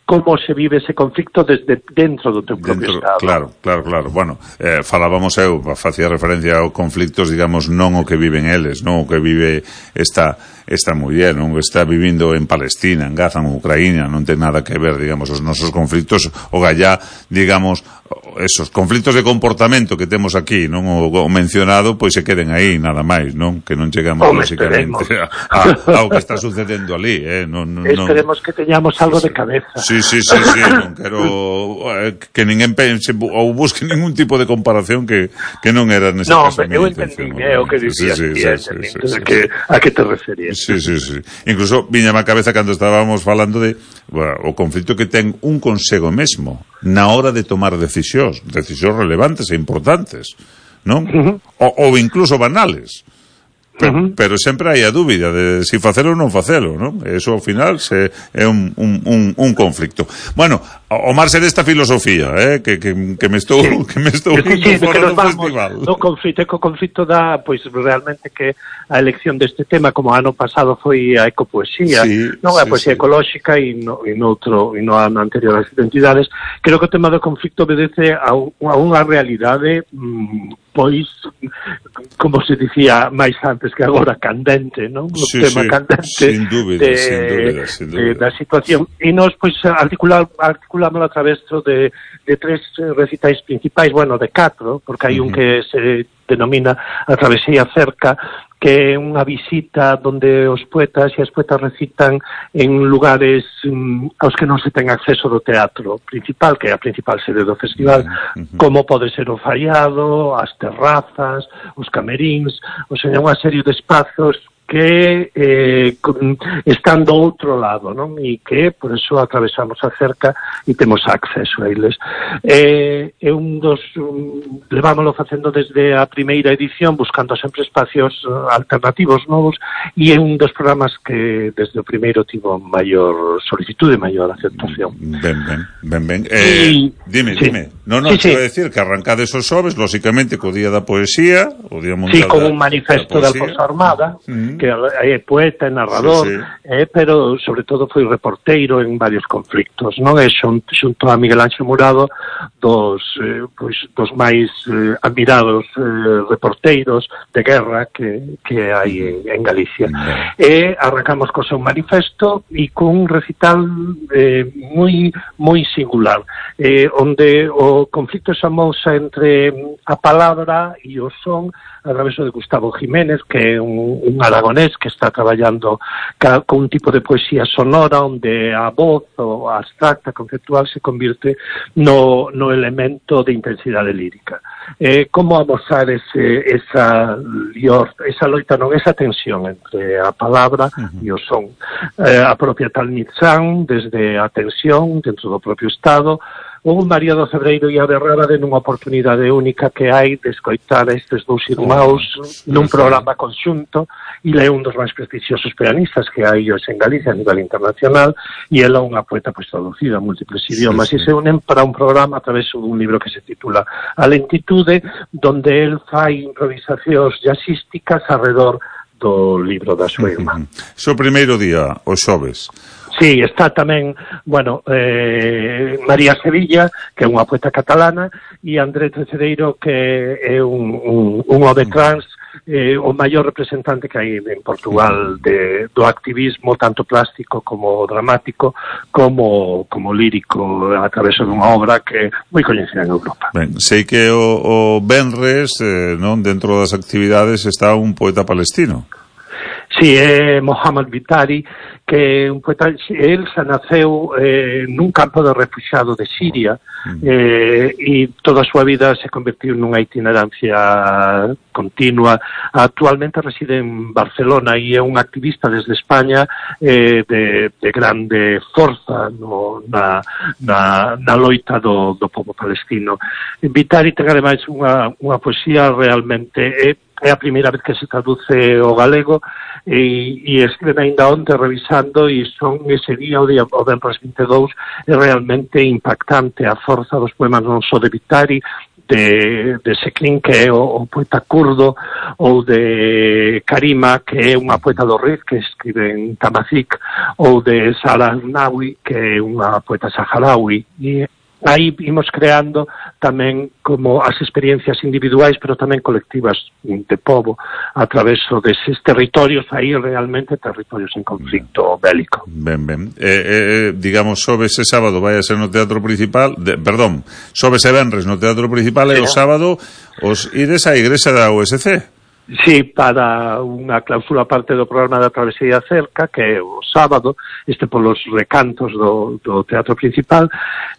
como se vive ese conflicto desde dentro do teu propio dentro, estado. Claro, claro, claro. Bueno, eh, falábamos eu, facía referencia aos conflictos, digamos, non o que viven eles, non o que vive esta esta muller, non está vivindo en Palestina, en Gaza, en Ucraína, non ten nada que ver, digamos, os nosos conflictos, o gallá, digamos, esos conflitos de comportamento que temos aquí, non o, o mencionado, pois se queden aí, nada máis, non? Que non chegamos, lógicamente, a, a, ao que está sucedendo ali, eh? Non, non, esperemos que teñamos algo de cabeza. Sí, sí, sí, sí, non quero eh, que ninguén pense ou busque ningún tipo de comparación que, que non era nese no, caso. No, eu entendí, é o que dicías, sí, sí, sí, sí, sí, sí, sí, que, a que te referías. Sí, sí, sí. Incluso viñame a cabeza cando estábamos falando de bueno, o conflito que ten un consigo mesmo na hora de tomar decisións, decisións relevantes e importantes, non? Uh-huh. O, ou incluso banales. Pero, uh-huh. pero sempre hai a dúbida de si facelo ou non facelo, non? Eso ao final se, é un, un, un, un conflicto. Bueno, o marxe desta filosofía, eh, que, que, que me estou sí. que me estou sí, sí, fora do festival. No conflito, co conflito da, pois realmente que a elección deste tema, como ano pasado foi a ecopoesía, sí, non a sí, poesía sí. ecolóxica e no, e no outro, e no ano anterior as identidades, creo que o tema do conflito obedece a, a unha realidade mmm, pois, como se dicía máis antes que agora, candente, non? O sí, tema sí, candente sin dúbida, de, sin dúbida, sin dúbida. De, da situación. E nos, pois, articular, articulamos a través de, de tres recitais principais, bueno, de catro, porque hai uh-huh. un que se denomina A travesía cerca, que é unha visita donde os poetas e as poetas recitan en lugares um, aos que non se ten acceso do teatro principal, que é a principal sede do festival, uh-huh. como pode ser o Faiado, as terrazas, os cameríns, ou seja, unha serie de espazos que eh, están do outro lado, non? E que, por eso, atravesamos a cerca e temos acceso a eles. É eh, un dos... Um, levámoslo facendo desde a primeira edición, buscando sempre espacios uh, alternativos novos, e é un dos programas que desde o primeiro tivo maior solicitude, maior aceptación. Ben, ben, ben, ben. Eh, y, dime, sí. dime. Non, non, sí, te sí. a decir que arrancades os xoves, lógicamente, co Día da Poesía, o Día Mundial sí, con un manifesto da Alfonso Armada, uh-huh. -huh. que é poeta, narrador, sí, sí. Eh, pero sobre todo foi reporteiro en varios conflictos, non? E xunto, xunto a Miguel Ángel Murado dos, eh, pois, dos máis eh, admirados eh, reporteiros de guerra que, que hai en, en Galicia. Uh -huh. E arrancamos co seu manifesto e con un recital eh, moi moi singular, eh, onde o conflicto xamouse entre a palabra e o son a través de Gustavo Jiménez, que é un, un aragonés que está traballando ca, con un tipo de poesía sonora onde a voz ou a abstracta conceptual se convirte no, no elemento de intensidade lírica. Eh, como amosar ese, esa lior, esa loita, non, esa tensión entre a palabra uh -huh. e o son. Eh, a propia Talmitzán, desde a tensión dentro do propio Estado, o María do Cebreiro e a Berrada de nunha oportunidade única que hai de escoitar a estes dous irmãos nun programa conxunto, e é un dos máis prestigiosos pianistas que hai hoxe en Galicia a nivel internacional, e ela unha poeta pois traducida a múltiples idiomas, sí, sí. e se unen para un programa a través dun libro que se titula A Lentitude, donde el fai improvisacións jazzísticas alrededor do libro da súa irmá. So primeiro día, o xoves. Sí, está tamén, bueno, eh, María Sevilla, que é unha poeta catalana, e André Trecedeiro, que é un, un, un home trans, eh, o maior representante que hai en Portugal de, do activismo, tanto plástico como dramático, como, como lírico, a través dunha obra que é moi coñecida en Europa. Ben, sei que o, o Benres, eh, non, dentro das actividades, está un poeta palestino. Sí, é Mohamed Bitari, que é un poeta, el se naceu eh, nun campo de refugiado de Siria, eh, e toda a súa vida se convertiu nunha itinerancia continua. Actualmente reside en Barcelona e é un activista desde España eh, de, de grande forza no, na, na, na loita do, do povo palestino. Bitari ten ademais unha, unha poesía realmente... Eh, é a primeira vez que se traduce ao galego e, e escriben ainda onte revisando, e son ese día, o día o venres vinte e dous, é realmente impactante a forza dos poemas non só de Bitari, de, de Seklin, que é o, o poeta kurdo, ou de Karima, que é unha poeta do Rif, que escribe en Tamazic, ou de Sara Nawi, que é unha poeta saharaui. E aí imos creando tamén como as experiencias individuais, pero tamén colectivas de povo, a través deses territorios, aí realmente territorios en conflicto bélico. Ben, ben. Eh, eh, digamos, xoves e sábado vai a ser no Teatro Principal, de, perdón, xoves e venres no Teatro Principal, sí, e o sábado os ides á igrexa da U S C. Sí, para unha clausura parte do programa da Travesía Cerca, que é o sábado, este polos recantos do, do Teatro Principal.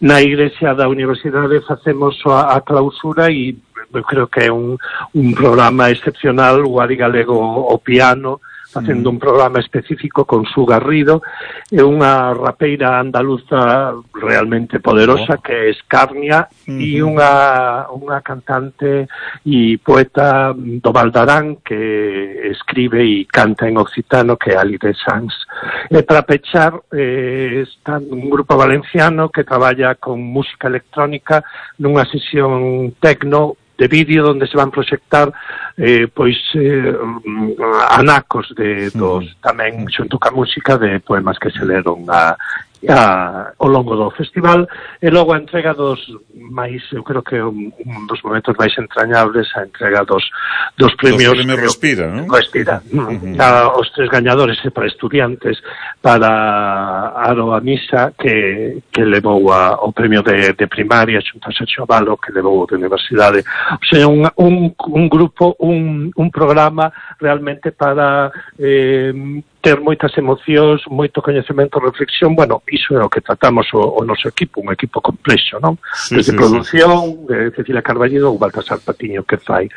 Na igrexa da Universidade facemos a, a clausura e eu creo que é un, un programa excepcional, o Ari Galego o piano, facendo un programa específico con Su Garrido, e unha rapeira andaluza realmente poderosa, que é Escarnia, uh-huh. e unha, unha cantante e poeta do Valdarán que escribe e canta en occitano, que é Alide Sanz. E para pechar, eh, está un grupo valenciano que traballa con música electrónica nunha sesión tecno de vídeo onde se van proxectar eh, pois eh, anacos de dos, tamén xunto ca música de poemas que se leron a, a, ao longo do festival, e logo a entrega dos máis, eu creo que un, un dos momentos máis entrañables, a entrega dos, dos premios dos premios Respira, non? Respira, uh-huh. a, os tres gañadores para estudiantes, para Aroa Misa, que, que levou a, o premio de, de primaria, xunto a Sergio Avalo, que levou de universidade. O sea, un, un, un grupo, un, un programa realmente para eh, ter moitas emocións, moito coñecemento, reflexión. Bueno, iso é o que tratamos o, o noso equipo, un equipo complexo, non? Sí, Desde sí, produción, sí. de Cecilia Carballido ou Baltasar Patiño, que fai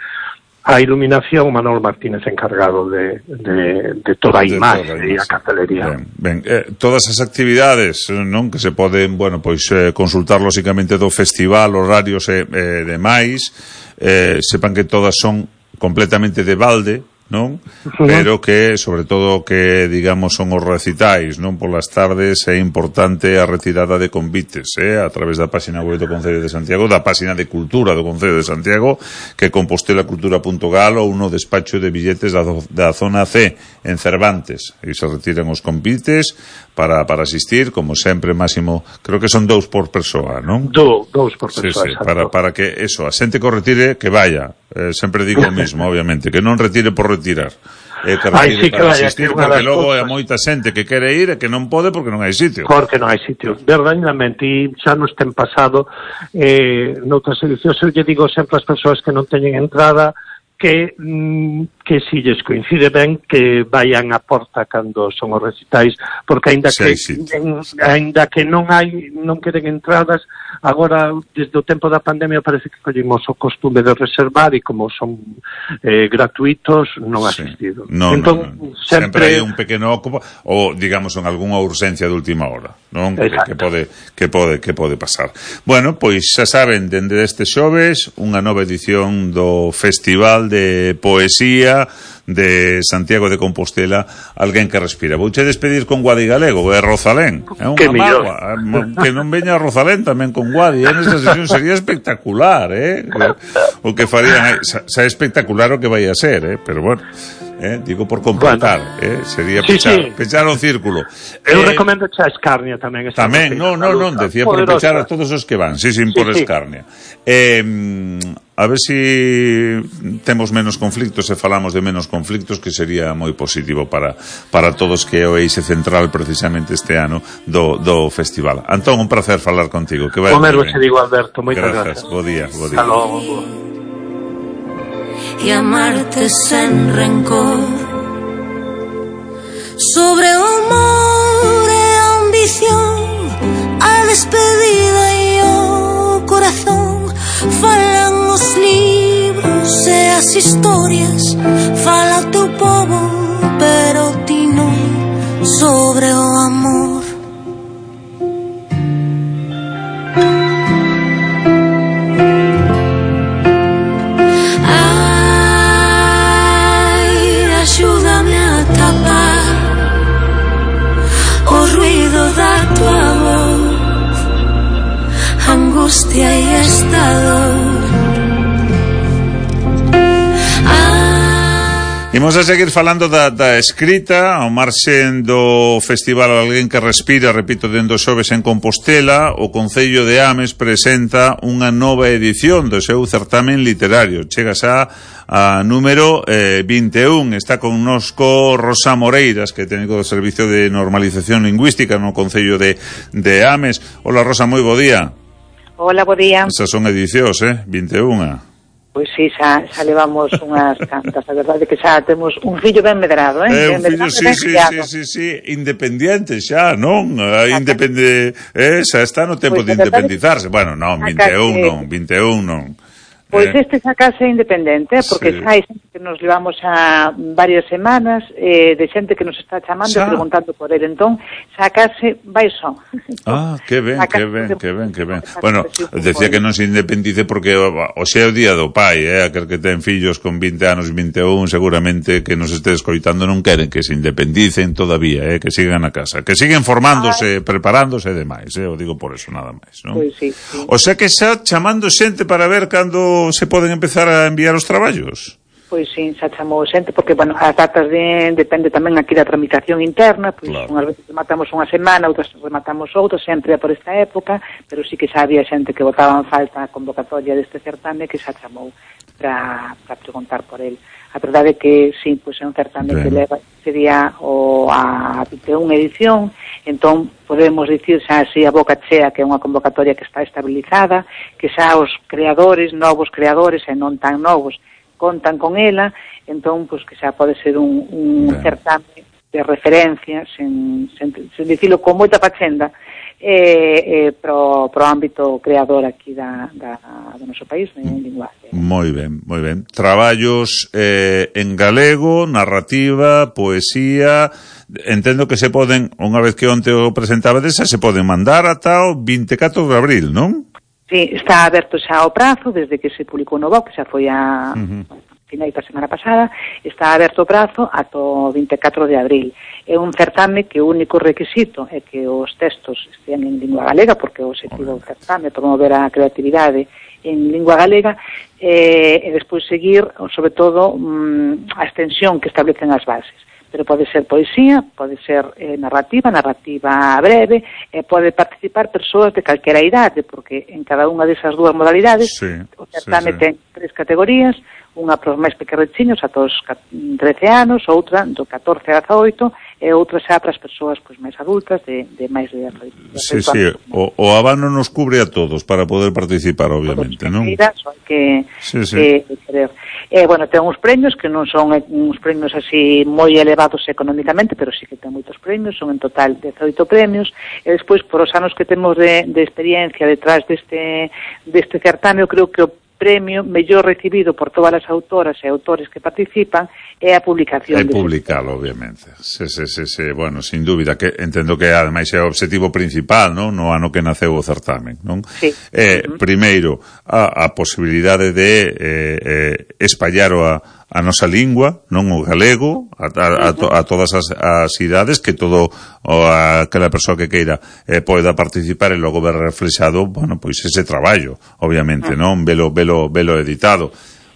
a iluminación, Manolo Martínez encargado de, de, de toda a imaxe e a cartelería. Ben, ben. Eh, todas as actividades, non, que se poden, bueno, pois eh, consultar lóxicamente do festival, horarios e eh, demais, eh, sepan que todas son completamente de balde, non? Pero que, sobre todo, que, digamos, son os recitais, non? Polas tardes é importante a retirada de convites, eh? A través da página web do Concello de Santiago, da página de Cultura do Concello de Santiago, que é compostela cultura punto gal, ou no despacho de billetes da, da zona C, en Cervantes. E se retiran os convites para, para asistir, como sempre, máximo, creo que son dous por persoa, non? Do, dous por persoa, sí, sí, para, para que, eso, a xente que o retire, que vaya. Eh, sempre digo o mismo, obviamente, que non retire por retirar, eh, que retire Ay, sí, para que vaya, asistir, que porque logo cosas... é moita xente que quere ir e que non pode porque non hai sitio. Porque non hai sitio, verdadeiramente, e xa nos ten pasado eh, noutras edicións, eu lle digo sempre ás persoas que non teñen entrada que mm, que si lles coincide ben que vayan a porta cando son os recitais, porque aínda que en, aínda que non hai non queden entradas, agora desde o tempo da pandemia parece que collimos o costume de reservar e como son eh, gratuitos non sí. asistido. No, entón, no, no. sempre... sempre hai un pequeno ocupo ou digamos en algunha urxencia de última hora, non? Que, que pode que pode que pode pasar. Bueno, pois xa saben, dende este xoves unha nova edición do Festival de Poesía de Santiago de Compostela, Alguén que respira. Vouche despedir con Guadi Galego, é Rosalén. É unha mágoa. Que non veña Rosalén tamén con Guadi, en esa sesión sería espectacular, eh? O que farían, xa é espectacular o que vai a ser, eh? Pero bueno, eh? digo por completar, bueno. eh? Sería sí, pechar, sí. pechar o círculo. Eu eh, recomendo xa Escarnia tamén. Tamén, non, non, non, decía por pechar a todos os que van, sí, sin sí, por sí. Escarnia. Eh, a ver si temos menos conflictos e falamos de menos conflictos, que sería moi positivo para, para todos, que é o eixe central precisamente este ano do, do festival. Antón, un placer falar contigo. Que vai o mesmo se digo, Alberto, moitas gracias. gracias. Bo día, bo día. Hasta logo. Y amarte sen rencor, sobre o amor e a ambición, a despedida e o corazón, falan os libros e as historias, fala o teu povo, pero ti non, sobre o amor. Ai, axúdame a tapar o ruido da tua voz, angustia e esta dor. Imos a seguir falando da, da escrita ao marxen do Festival Alguén que respira, repito, dentro do xoves en Compostela. O Concello de Ames presenta unha nova edición do seu certamen literario. Chega xa a número eh, vinte e un. Está connosco Rosa Moreiras, que é técnico do Servicio de Normalización Lingüística no Concello de, de Ames. Hola, Rosa, moi bo día. Hola, bo día. Esas son edicións, eh? vinte e unha. Pois sí, xa, xa levamos unhas cantas. A verdade é que xa temos un fillo ben medrado, eh? Eh, un fillo, sí, sí, sí, sí, sí, independiente xa, non? Independe, eh, xa está no tempo pues, de independizarse. Bueno, non, vinte e un non, vinte e un non. Pois eh. este xa case independente, porque sí. xa hai xente que nos levamos a varias semanas eh, de xente que nos está chamando xa. E preguntando por ele, entón xa case vai só. Ah, que ben, que ben, que ben, que ben. Bueno, decía que non se independice porque o xa é o día do pai, eh, aquel que ten fillos con vinte anos, vinte e un, seguramente que nos este escoitando non queren que se independicen todavía, eh, que sigan a casa, que siguen formándose, Ay. preparándose e demais, eh, o digo por eso nada máis, non? Pois sí, sí. O sea que xa chamando xente para ver cando se poden empezar a enviar os traballos? Pois sí, xa chamou xente, porque, bueno, as datas de, depende tamén aquí da tramitación interna, pois claro. Unhas veces rematamos unha semana, outras rematamos outra, sempre por esta época, pero sí que xa había xente que botaba en falta a convocatoria deste certame que xa chamou para, para preguntar por el. A verdade é que, sí, pois é un certame ben. Que leva, sería o, a vinte e unha edición, entón podemos dicir xa así a boca chea que é unha convocatoria que está estabilizada, que xa os creadores, novos creadores e non tan novos, contan con ela, entón pois que xa pode ser un, un certame de referencia, sen, sen, sen dicilo con moita pachenda, eh, eh, pro, pro ámbito creador aquí da, da, do noso país, en linguaxe. Moi ben, moi ben. Traballos eh, en galego, narrativa, poesía. Entendo que se poden, unha vez que onte o presentaba desa, se poden mandar ata o vinte e catro de abril, non? Sí, está aberto xa o prazo desde que se publicou no B O C, que xa foi a, uh-huh. finais da semana pasada, está aberto o prazo ata o vinte e catro de abril. É un certame que o único requisito é que os textos estean en lingua galega, porque o objetivo do certame é promover a creatividade en lingua galega, eh, e despois seguir, sobre todo, mm, a extensión que establecen as bases. Pero pode ser poesía, pode ser eh, narrativa, narrativa breve, e pode participar persoas de calquera idade, porque en cada unha desas dúas modalidades sí, o certame sí, sí. ten tres categorías, unha para os máis pequerrechiños, ata os trece anos, outra do catorce a dezaoito, e outra xa para as persoas pois, máis adultas, de, de máis de... de sí, sí, o, o abano nos cubre a todos para poder participar, obviamente, non? Son que, sí, sí. que querer. Eh, bueno, ten uns premios que non son uns premios así moi elevados económicamente, pero sí que ten moitos premios, son en total dezaoito premios, e despois, por os anos que temos de, de experiencia detrás deste, deste certame, eu creo que o premio mellor recibido por todas as autoras e autores que participan é a publicación. É publicalo, obviamente. Sí, sí, sí, sí. Bueno, sin dúbida, que entendo que ademais é o obxectivo principal, non? No ano que naceu o certamen, non? Sí. Eh, uh-huh. Primeiro, a, a posibilidade de eh, eh, espallar a, a nosa lingua, non o galego, a, a, a, to, a todas as, as idades, que todo o aquela persoa que queira eh, poida participar e logo ver reflexado, bueno, pois ese traballo, obviamente, uh-huh. non? Velo, velo, velo editado.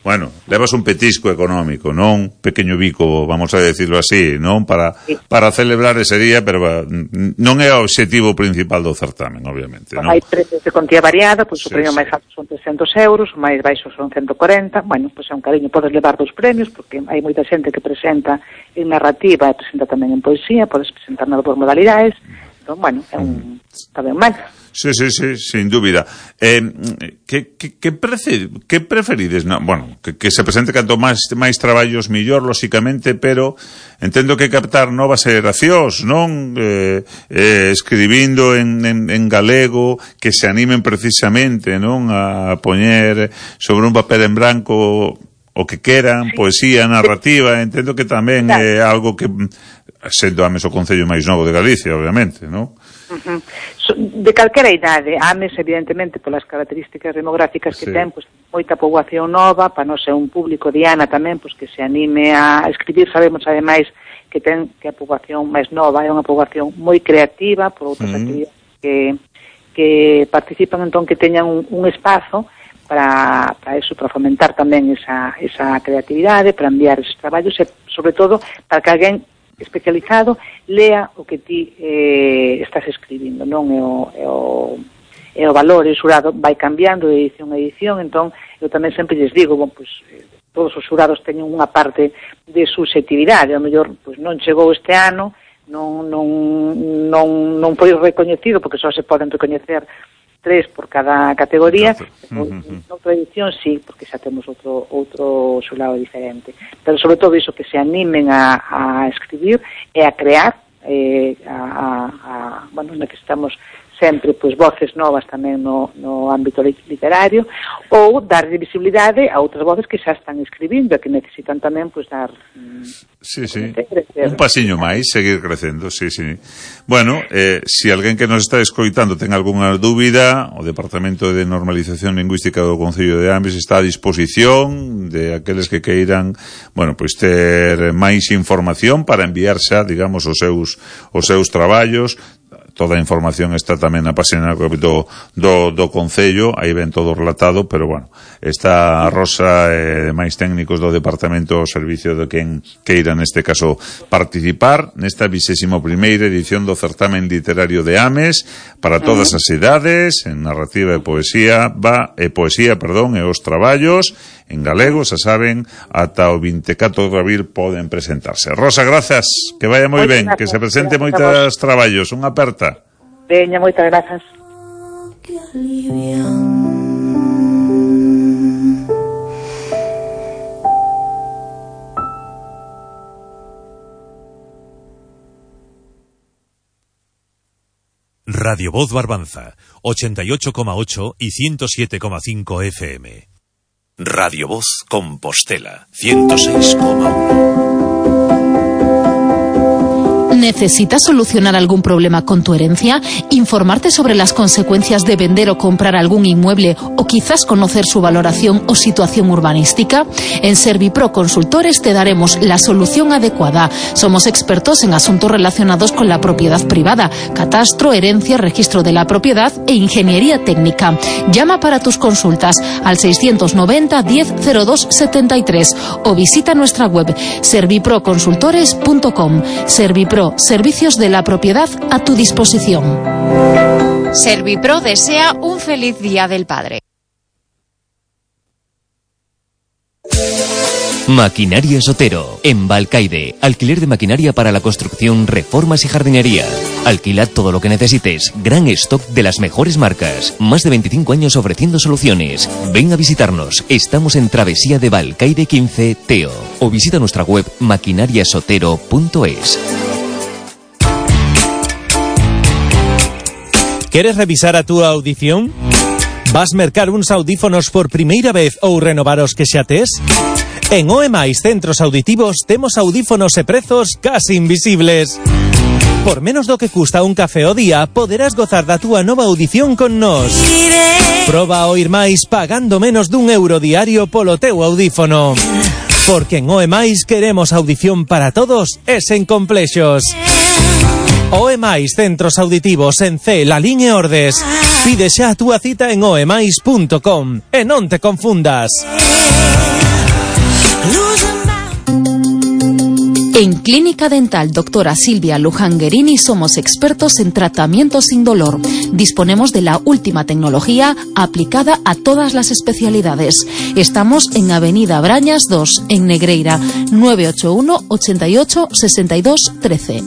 Bueno, levas un petisco económico, non? Pequeño bico, vamos a decirlo así, non? Para, para celebrar ese día, pero non é o obxectivo principal do certamen, obviamente, non? Hai precios de contía variada, pois sí, o premio sí. máis alto son trescentos euros, o máis baixo son ciento corenta, bueno, pois é un cariño, podes levar dos premios, porque hai moita xente que presenta en narrativa e presenta tamén en poesía, podes presentar nas dos modalidades, entón, bueno, é un... está ben mal. Sí, sí, sí, sin dúbida. Eh, que, que, que, prece, que preferides? No, bueno, que, que se presente canto máis, máis traballos millor, lóxicamente, pero entendo que captar novas xeracións, non? Eh, eh, escribindo en, en, en galego, que se animen precisamente, non? A poñer sobre un papel en branco o que queran, poesía, narrativa, entendo que tamén é algo que, sendo Ames o concello máis novo de Galicia, obviamente, non? Uh-huh. De calquera idade, Ames, evidentemente, polas características demográficas que sí. ten, pois, moita poboación nova, para non ser un público diana tamén, pois, que se anime a escribir. Sabemos, ademais, que ten que a poboación máis nova é unha poboación moi creativa, por outras uh-huh. actividades que, que participan, entón, que teñan un, un espazo para, para eso, para fomentar tamén esa, esa creatividade, para enviar esos traballos e, sobre todo, para que alguén especializado lea o que ti eh, estás escribindo, non? É o, é o, é o valor, e o xurado vai cambiando de edición a edición, entón eu tamén sempre lles digo, bon, pues, eh, todos os xurados teñen unha parte de subjetividade, ao mellor pues, non chegou este ano, non, non, non, non foi recoñecido, porque só se poden recoñecer tres por cada categoría, uh-huh. noutra edición sí, porque xa temos outro outro xurado diferente. Pero sobre todo iso, que se animen a, a escribir e a crear, eh, a, a, a, bueno, necesitamos sempre pois voces novas tamén no, no ámbito literario, ou dar visibilidade a outras voces que xa están escribindo e que necesitan tamén pois dar sí, sí. un pasiño máis, seguir crecendo, sí, sí. Bueno, eh, si alguén que nos está escoitando ten algunha dúbida, o Departamento de Normalización Lingüística do Concello de Ames está a disposición de aqueles que queiran, bueno, pois ter máis información para enviar xa, digamos, os seus os seus traballos. Toda a información está tamén na página do, do, do Concello, aí ven todo relatado, pero bueno, está a Rosa e eh, máis técnicos do Departamento ao servicio de quen queira neste caso participar nesta vigésima primeira edición do certamen literario de Ames para todas as idades, en narrativa e poesía, va, e poesía, perdón, e os traballos en galego, xa saben, ata o vinte e catro de abril poden presentarse. Rosa, grazas, que vaya moi ben, que se presente moitos traballos, unha aperta. Veña, moitas grazas. Radio Voz Barbanza, ochenta y ocho coma ocho y ciento siete coma cinco F M. Radio Voz Compostela, ciento seis coma uno. ¿Necesitas solucionar algún problema con tu herencia? ¿Informarte sobre las consecuencias de vender o comprar algún inmueble o quizás conocer su valoración o situación urbanística? En Servipro Consultores te daremos la solución adecuada. Somos expertos en asuntos relacionados con la propiedad privada, catastro, herencia, registro de la propiedad e ingeniería técnica. Llama para tus consultas al seiscientos noventa diez cero dos setenta y tres o visita nuestra web servipro consultores punto com. Servipro, servicios de la propiedad a tu disposición. Servipro desea un feliz Día del Padre. Maquinaria Sotero, en Balcaide. Alquiler de maquinaria para la construcción, reformas y jardinería. Alquila todo lo que necesites. Gran stock de las mejores marcas. Más de veinticinco años ofreciendo soluciones. Ven a visitarnos. Estamos en Travesía de Balcaide quince, Teo. O visita nuestra web maquinariasotero punto es. ¿Queres revisar a tu audición? Vas mercar uns audífonos por primeira vez ou renovar os que xa tes? En O E Mais Centros Auditivos temos audífonos e prezos casi invisibles. Por menos do que custa un café ao día, poderás gozar da túa nova audición con nós. Proba a oír máis pagando menos dun euro diario polo teu audífono. Porque en O E Mais queremos audición para todos e sen complexos. O E Mais Centros Auditivos en C, Lalín e Ordes. Pide xa a túa cita en o e mais punto com e non te confundas. En Clínica Dental Doctora Silvia Lujanguerini somos expertos en tratamiento sin dolor. Disponemos de la última tecnología aplicada a todas las especialidades. Estamos en Avenida Brañas dos, en Negreira, nueve ocho uno, ochenta y ocho, sesenta y dos, trece.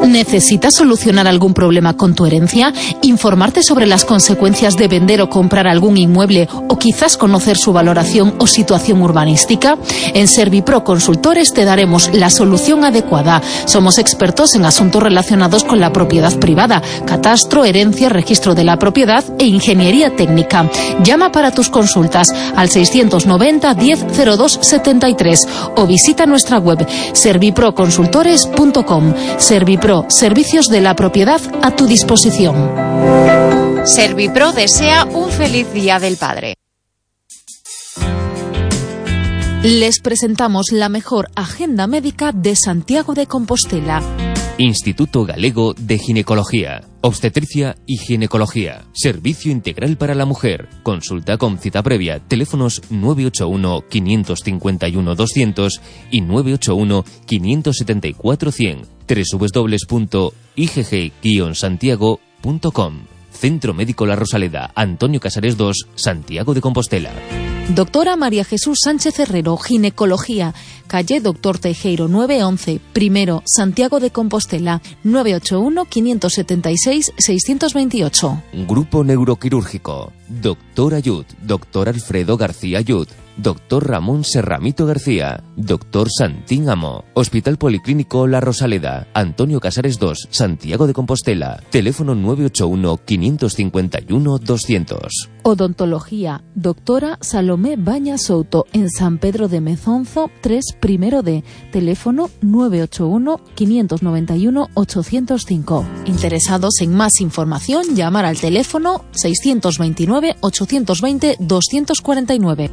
¿Necesitas solucionar algún problema con tu herencia? ¿Informarte sobre las consecuencias de vender o comprar algún inmueble o quizás conocer su valoración o situación urbanística? En Servipro Consultores te daremos la solución adecuada. Somos expertos en asuntos relacionados con la propiedad privada, catastro, herencia, registro de la propiedad e ingeniería técnica. Llama para tus consultas al seiscientos noventa diez cero dos setenta y tres o visita nuestra web servipro consultores punto com. Servipro, servicios de la propiedad a tu disposición. Servipro desea un feliz Día del Padre. Les presentamos la mejor agenda médica de Santiago de Compostela. Instituto Galego de Ginecología, Obstetricia y Ginecología. Servicio integral para la mujer. Consulta con cita previa. Teléfonos nueve ocho uno, cinco cinco uno, doscientos y nueve ocho uno, cinco siete cuatro, cien. doble u doble u doble u punto i g g guion santiago punto com. Centro Médico La Rosaleda, Antonio Casares dos, Santiago de Compostela. Doctora María Jesús Sánchez Herrero, Ginecología, calle Doctor Teijeiro nueve once, primero, Santiago de Compostela, nueve ocho uno, cinco siete seis, seis dos ocho. Grupo Neuroquirúrgico, Doctor Ayud, Doctor Alfredo García Ayud, Doctor Ramón Serramito García, Doctor Santín Amo, Hospital Policlínico La Rosaleda, Antonio Casares dos, Santiago de Compostela, teléfono nueve ocho uno, cinco cinco uno, doscientos. Odontología, Doctora Salomé Baña Souto, en San Pedro de Mezonzo, tres primero D, teléfono nueve ocho uno, cinco nueve uno, ocho cero cinco. Interesados en más información, llamar al teléfono seiscientos veintinueve, ochocientos veinte, doscientos cuarenta y nueve.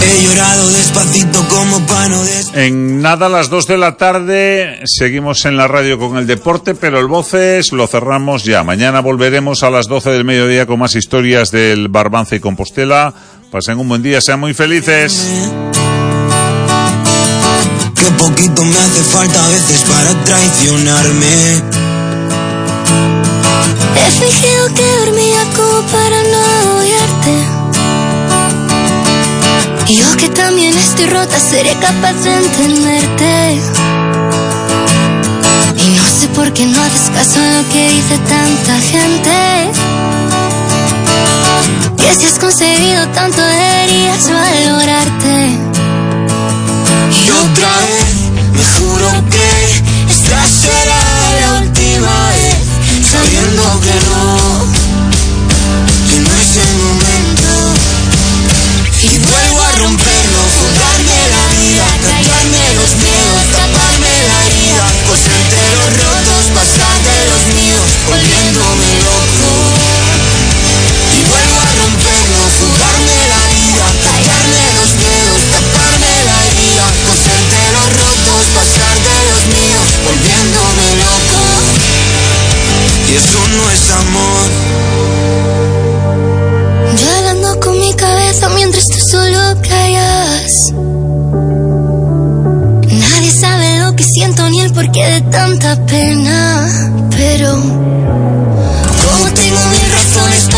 He llorado despacito como pano de... En nada, a las dos de la tarde, seguimos en la radio con el deporte, pero el Voces lo cerramos ya. Mañana volveremos a las doce del mediodía con más historias del Barbanza y Compostela. Pasen un buen día, sean muy felices. Qué poquito me hace falta a veces para traicionarme. He fingido que dormía como para no odiarte. Yo que también estoy rota, seré capaz de entenderte. Y no sé por qué no haces caso a lo que dice tanta gente. Que si has conseguido tanto deberías valorarte. Y otra vez me juro que esta será la última vez, sabiendo que no, que no es el momento. Y no es amor. Yo hablando con mi cabeza mientras tú solo callas. Nadie sabe lo que siento ni el porqué de tanta pena. Pero como tengo mis razones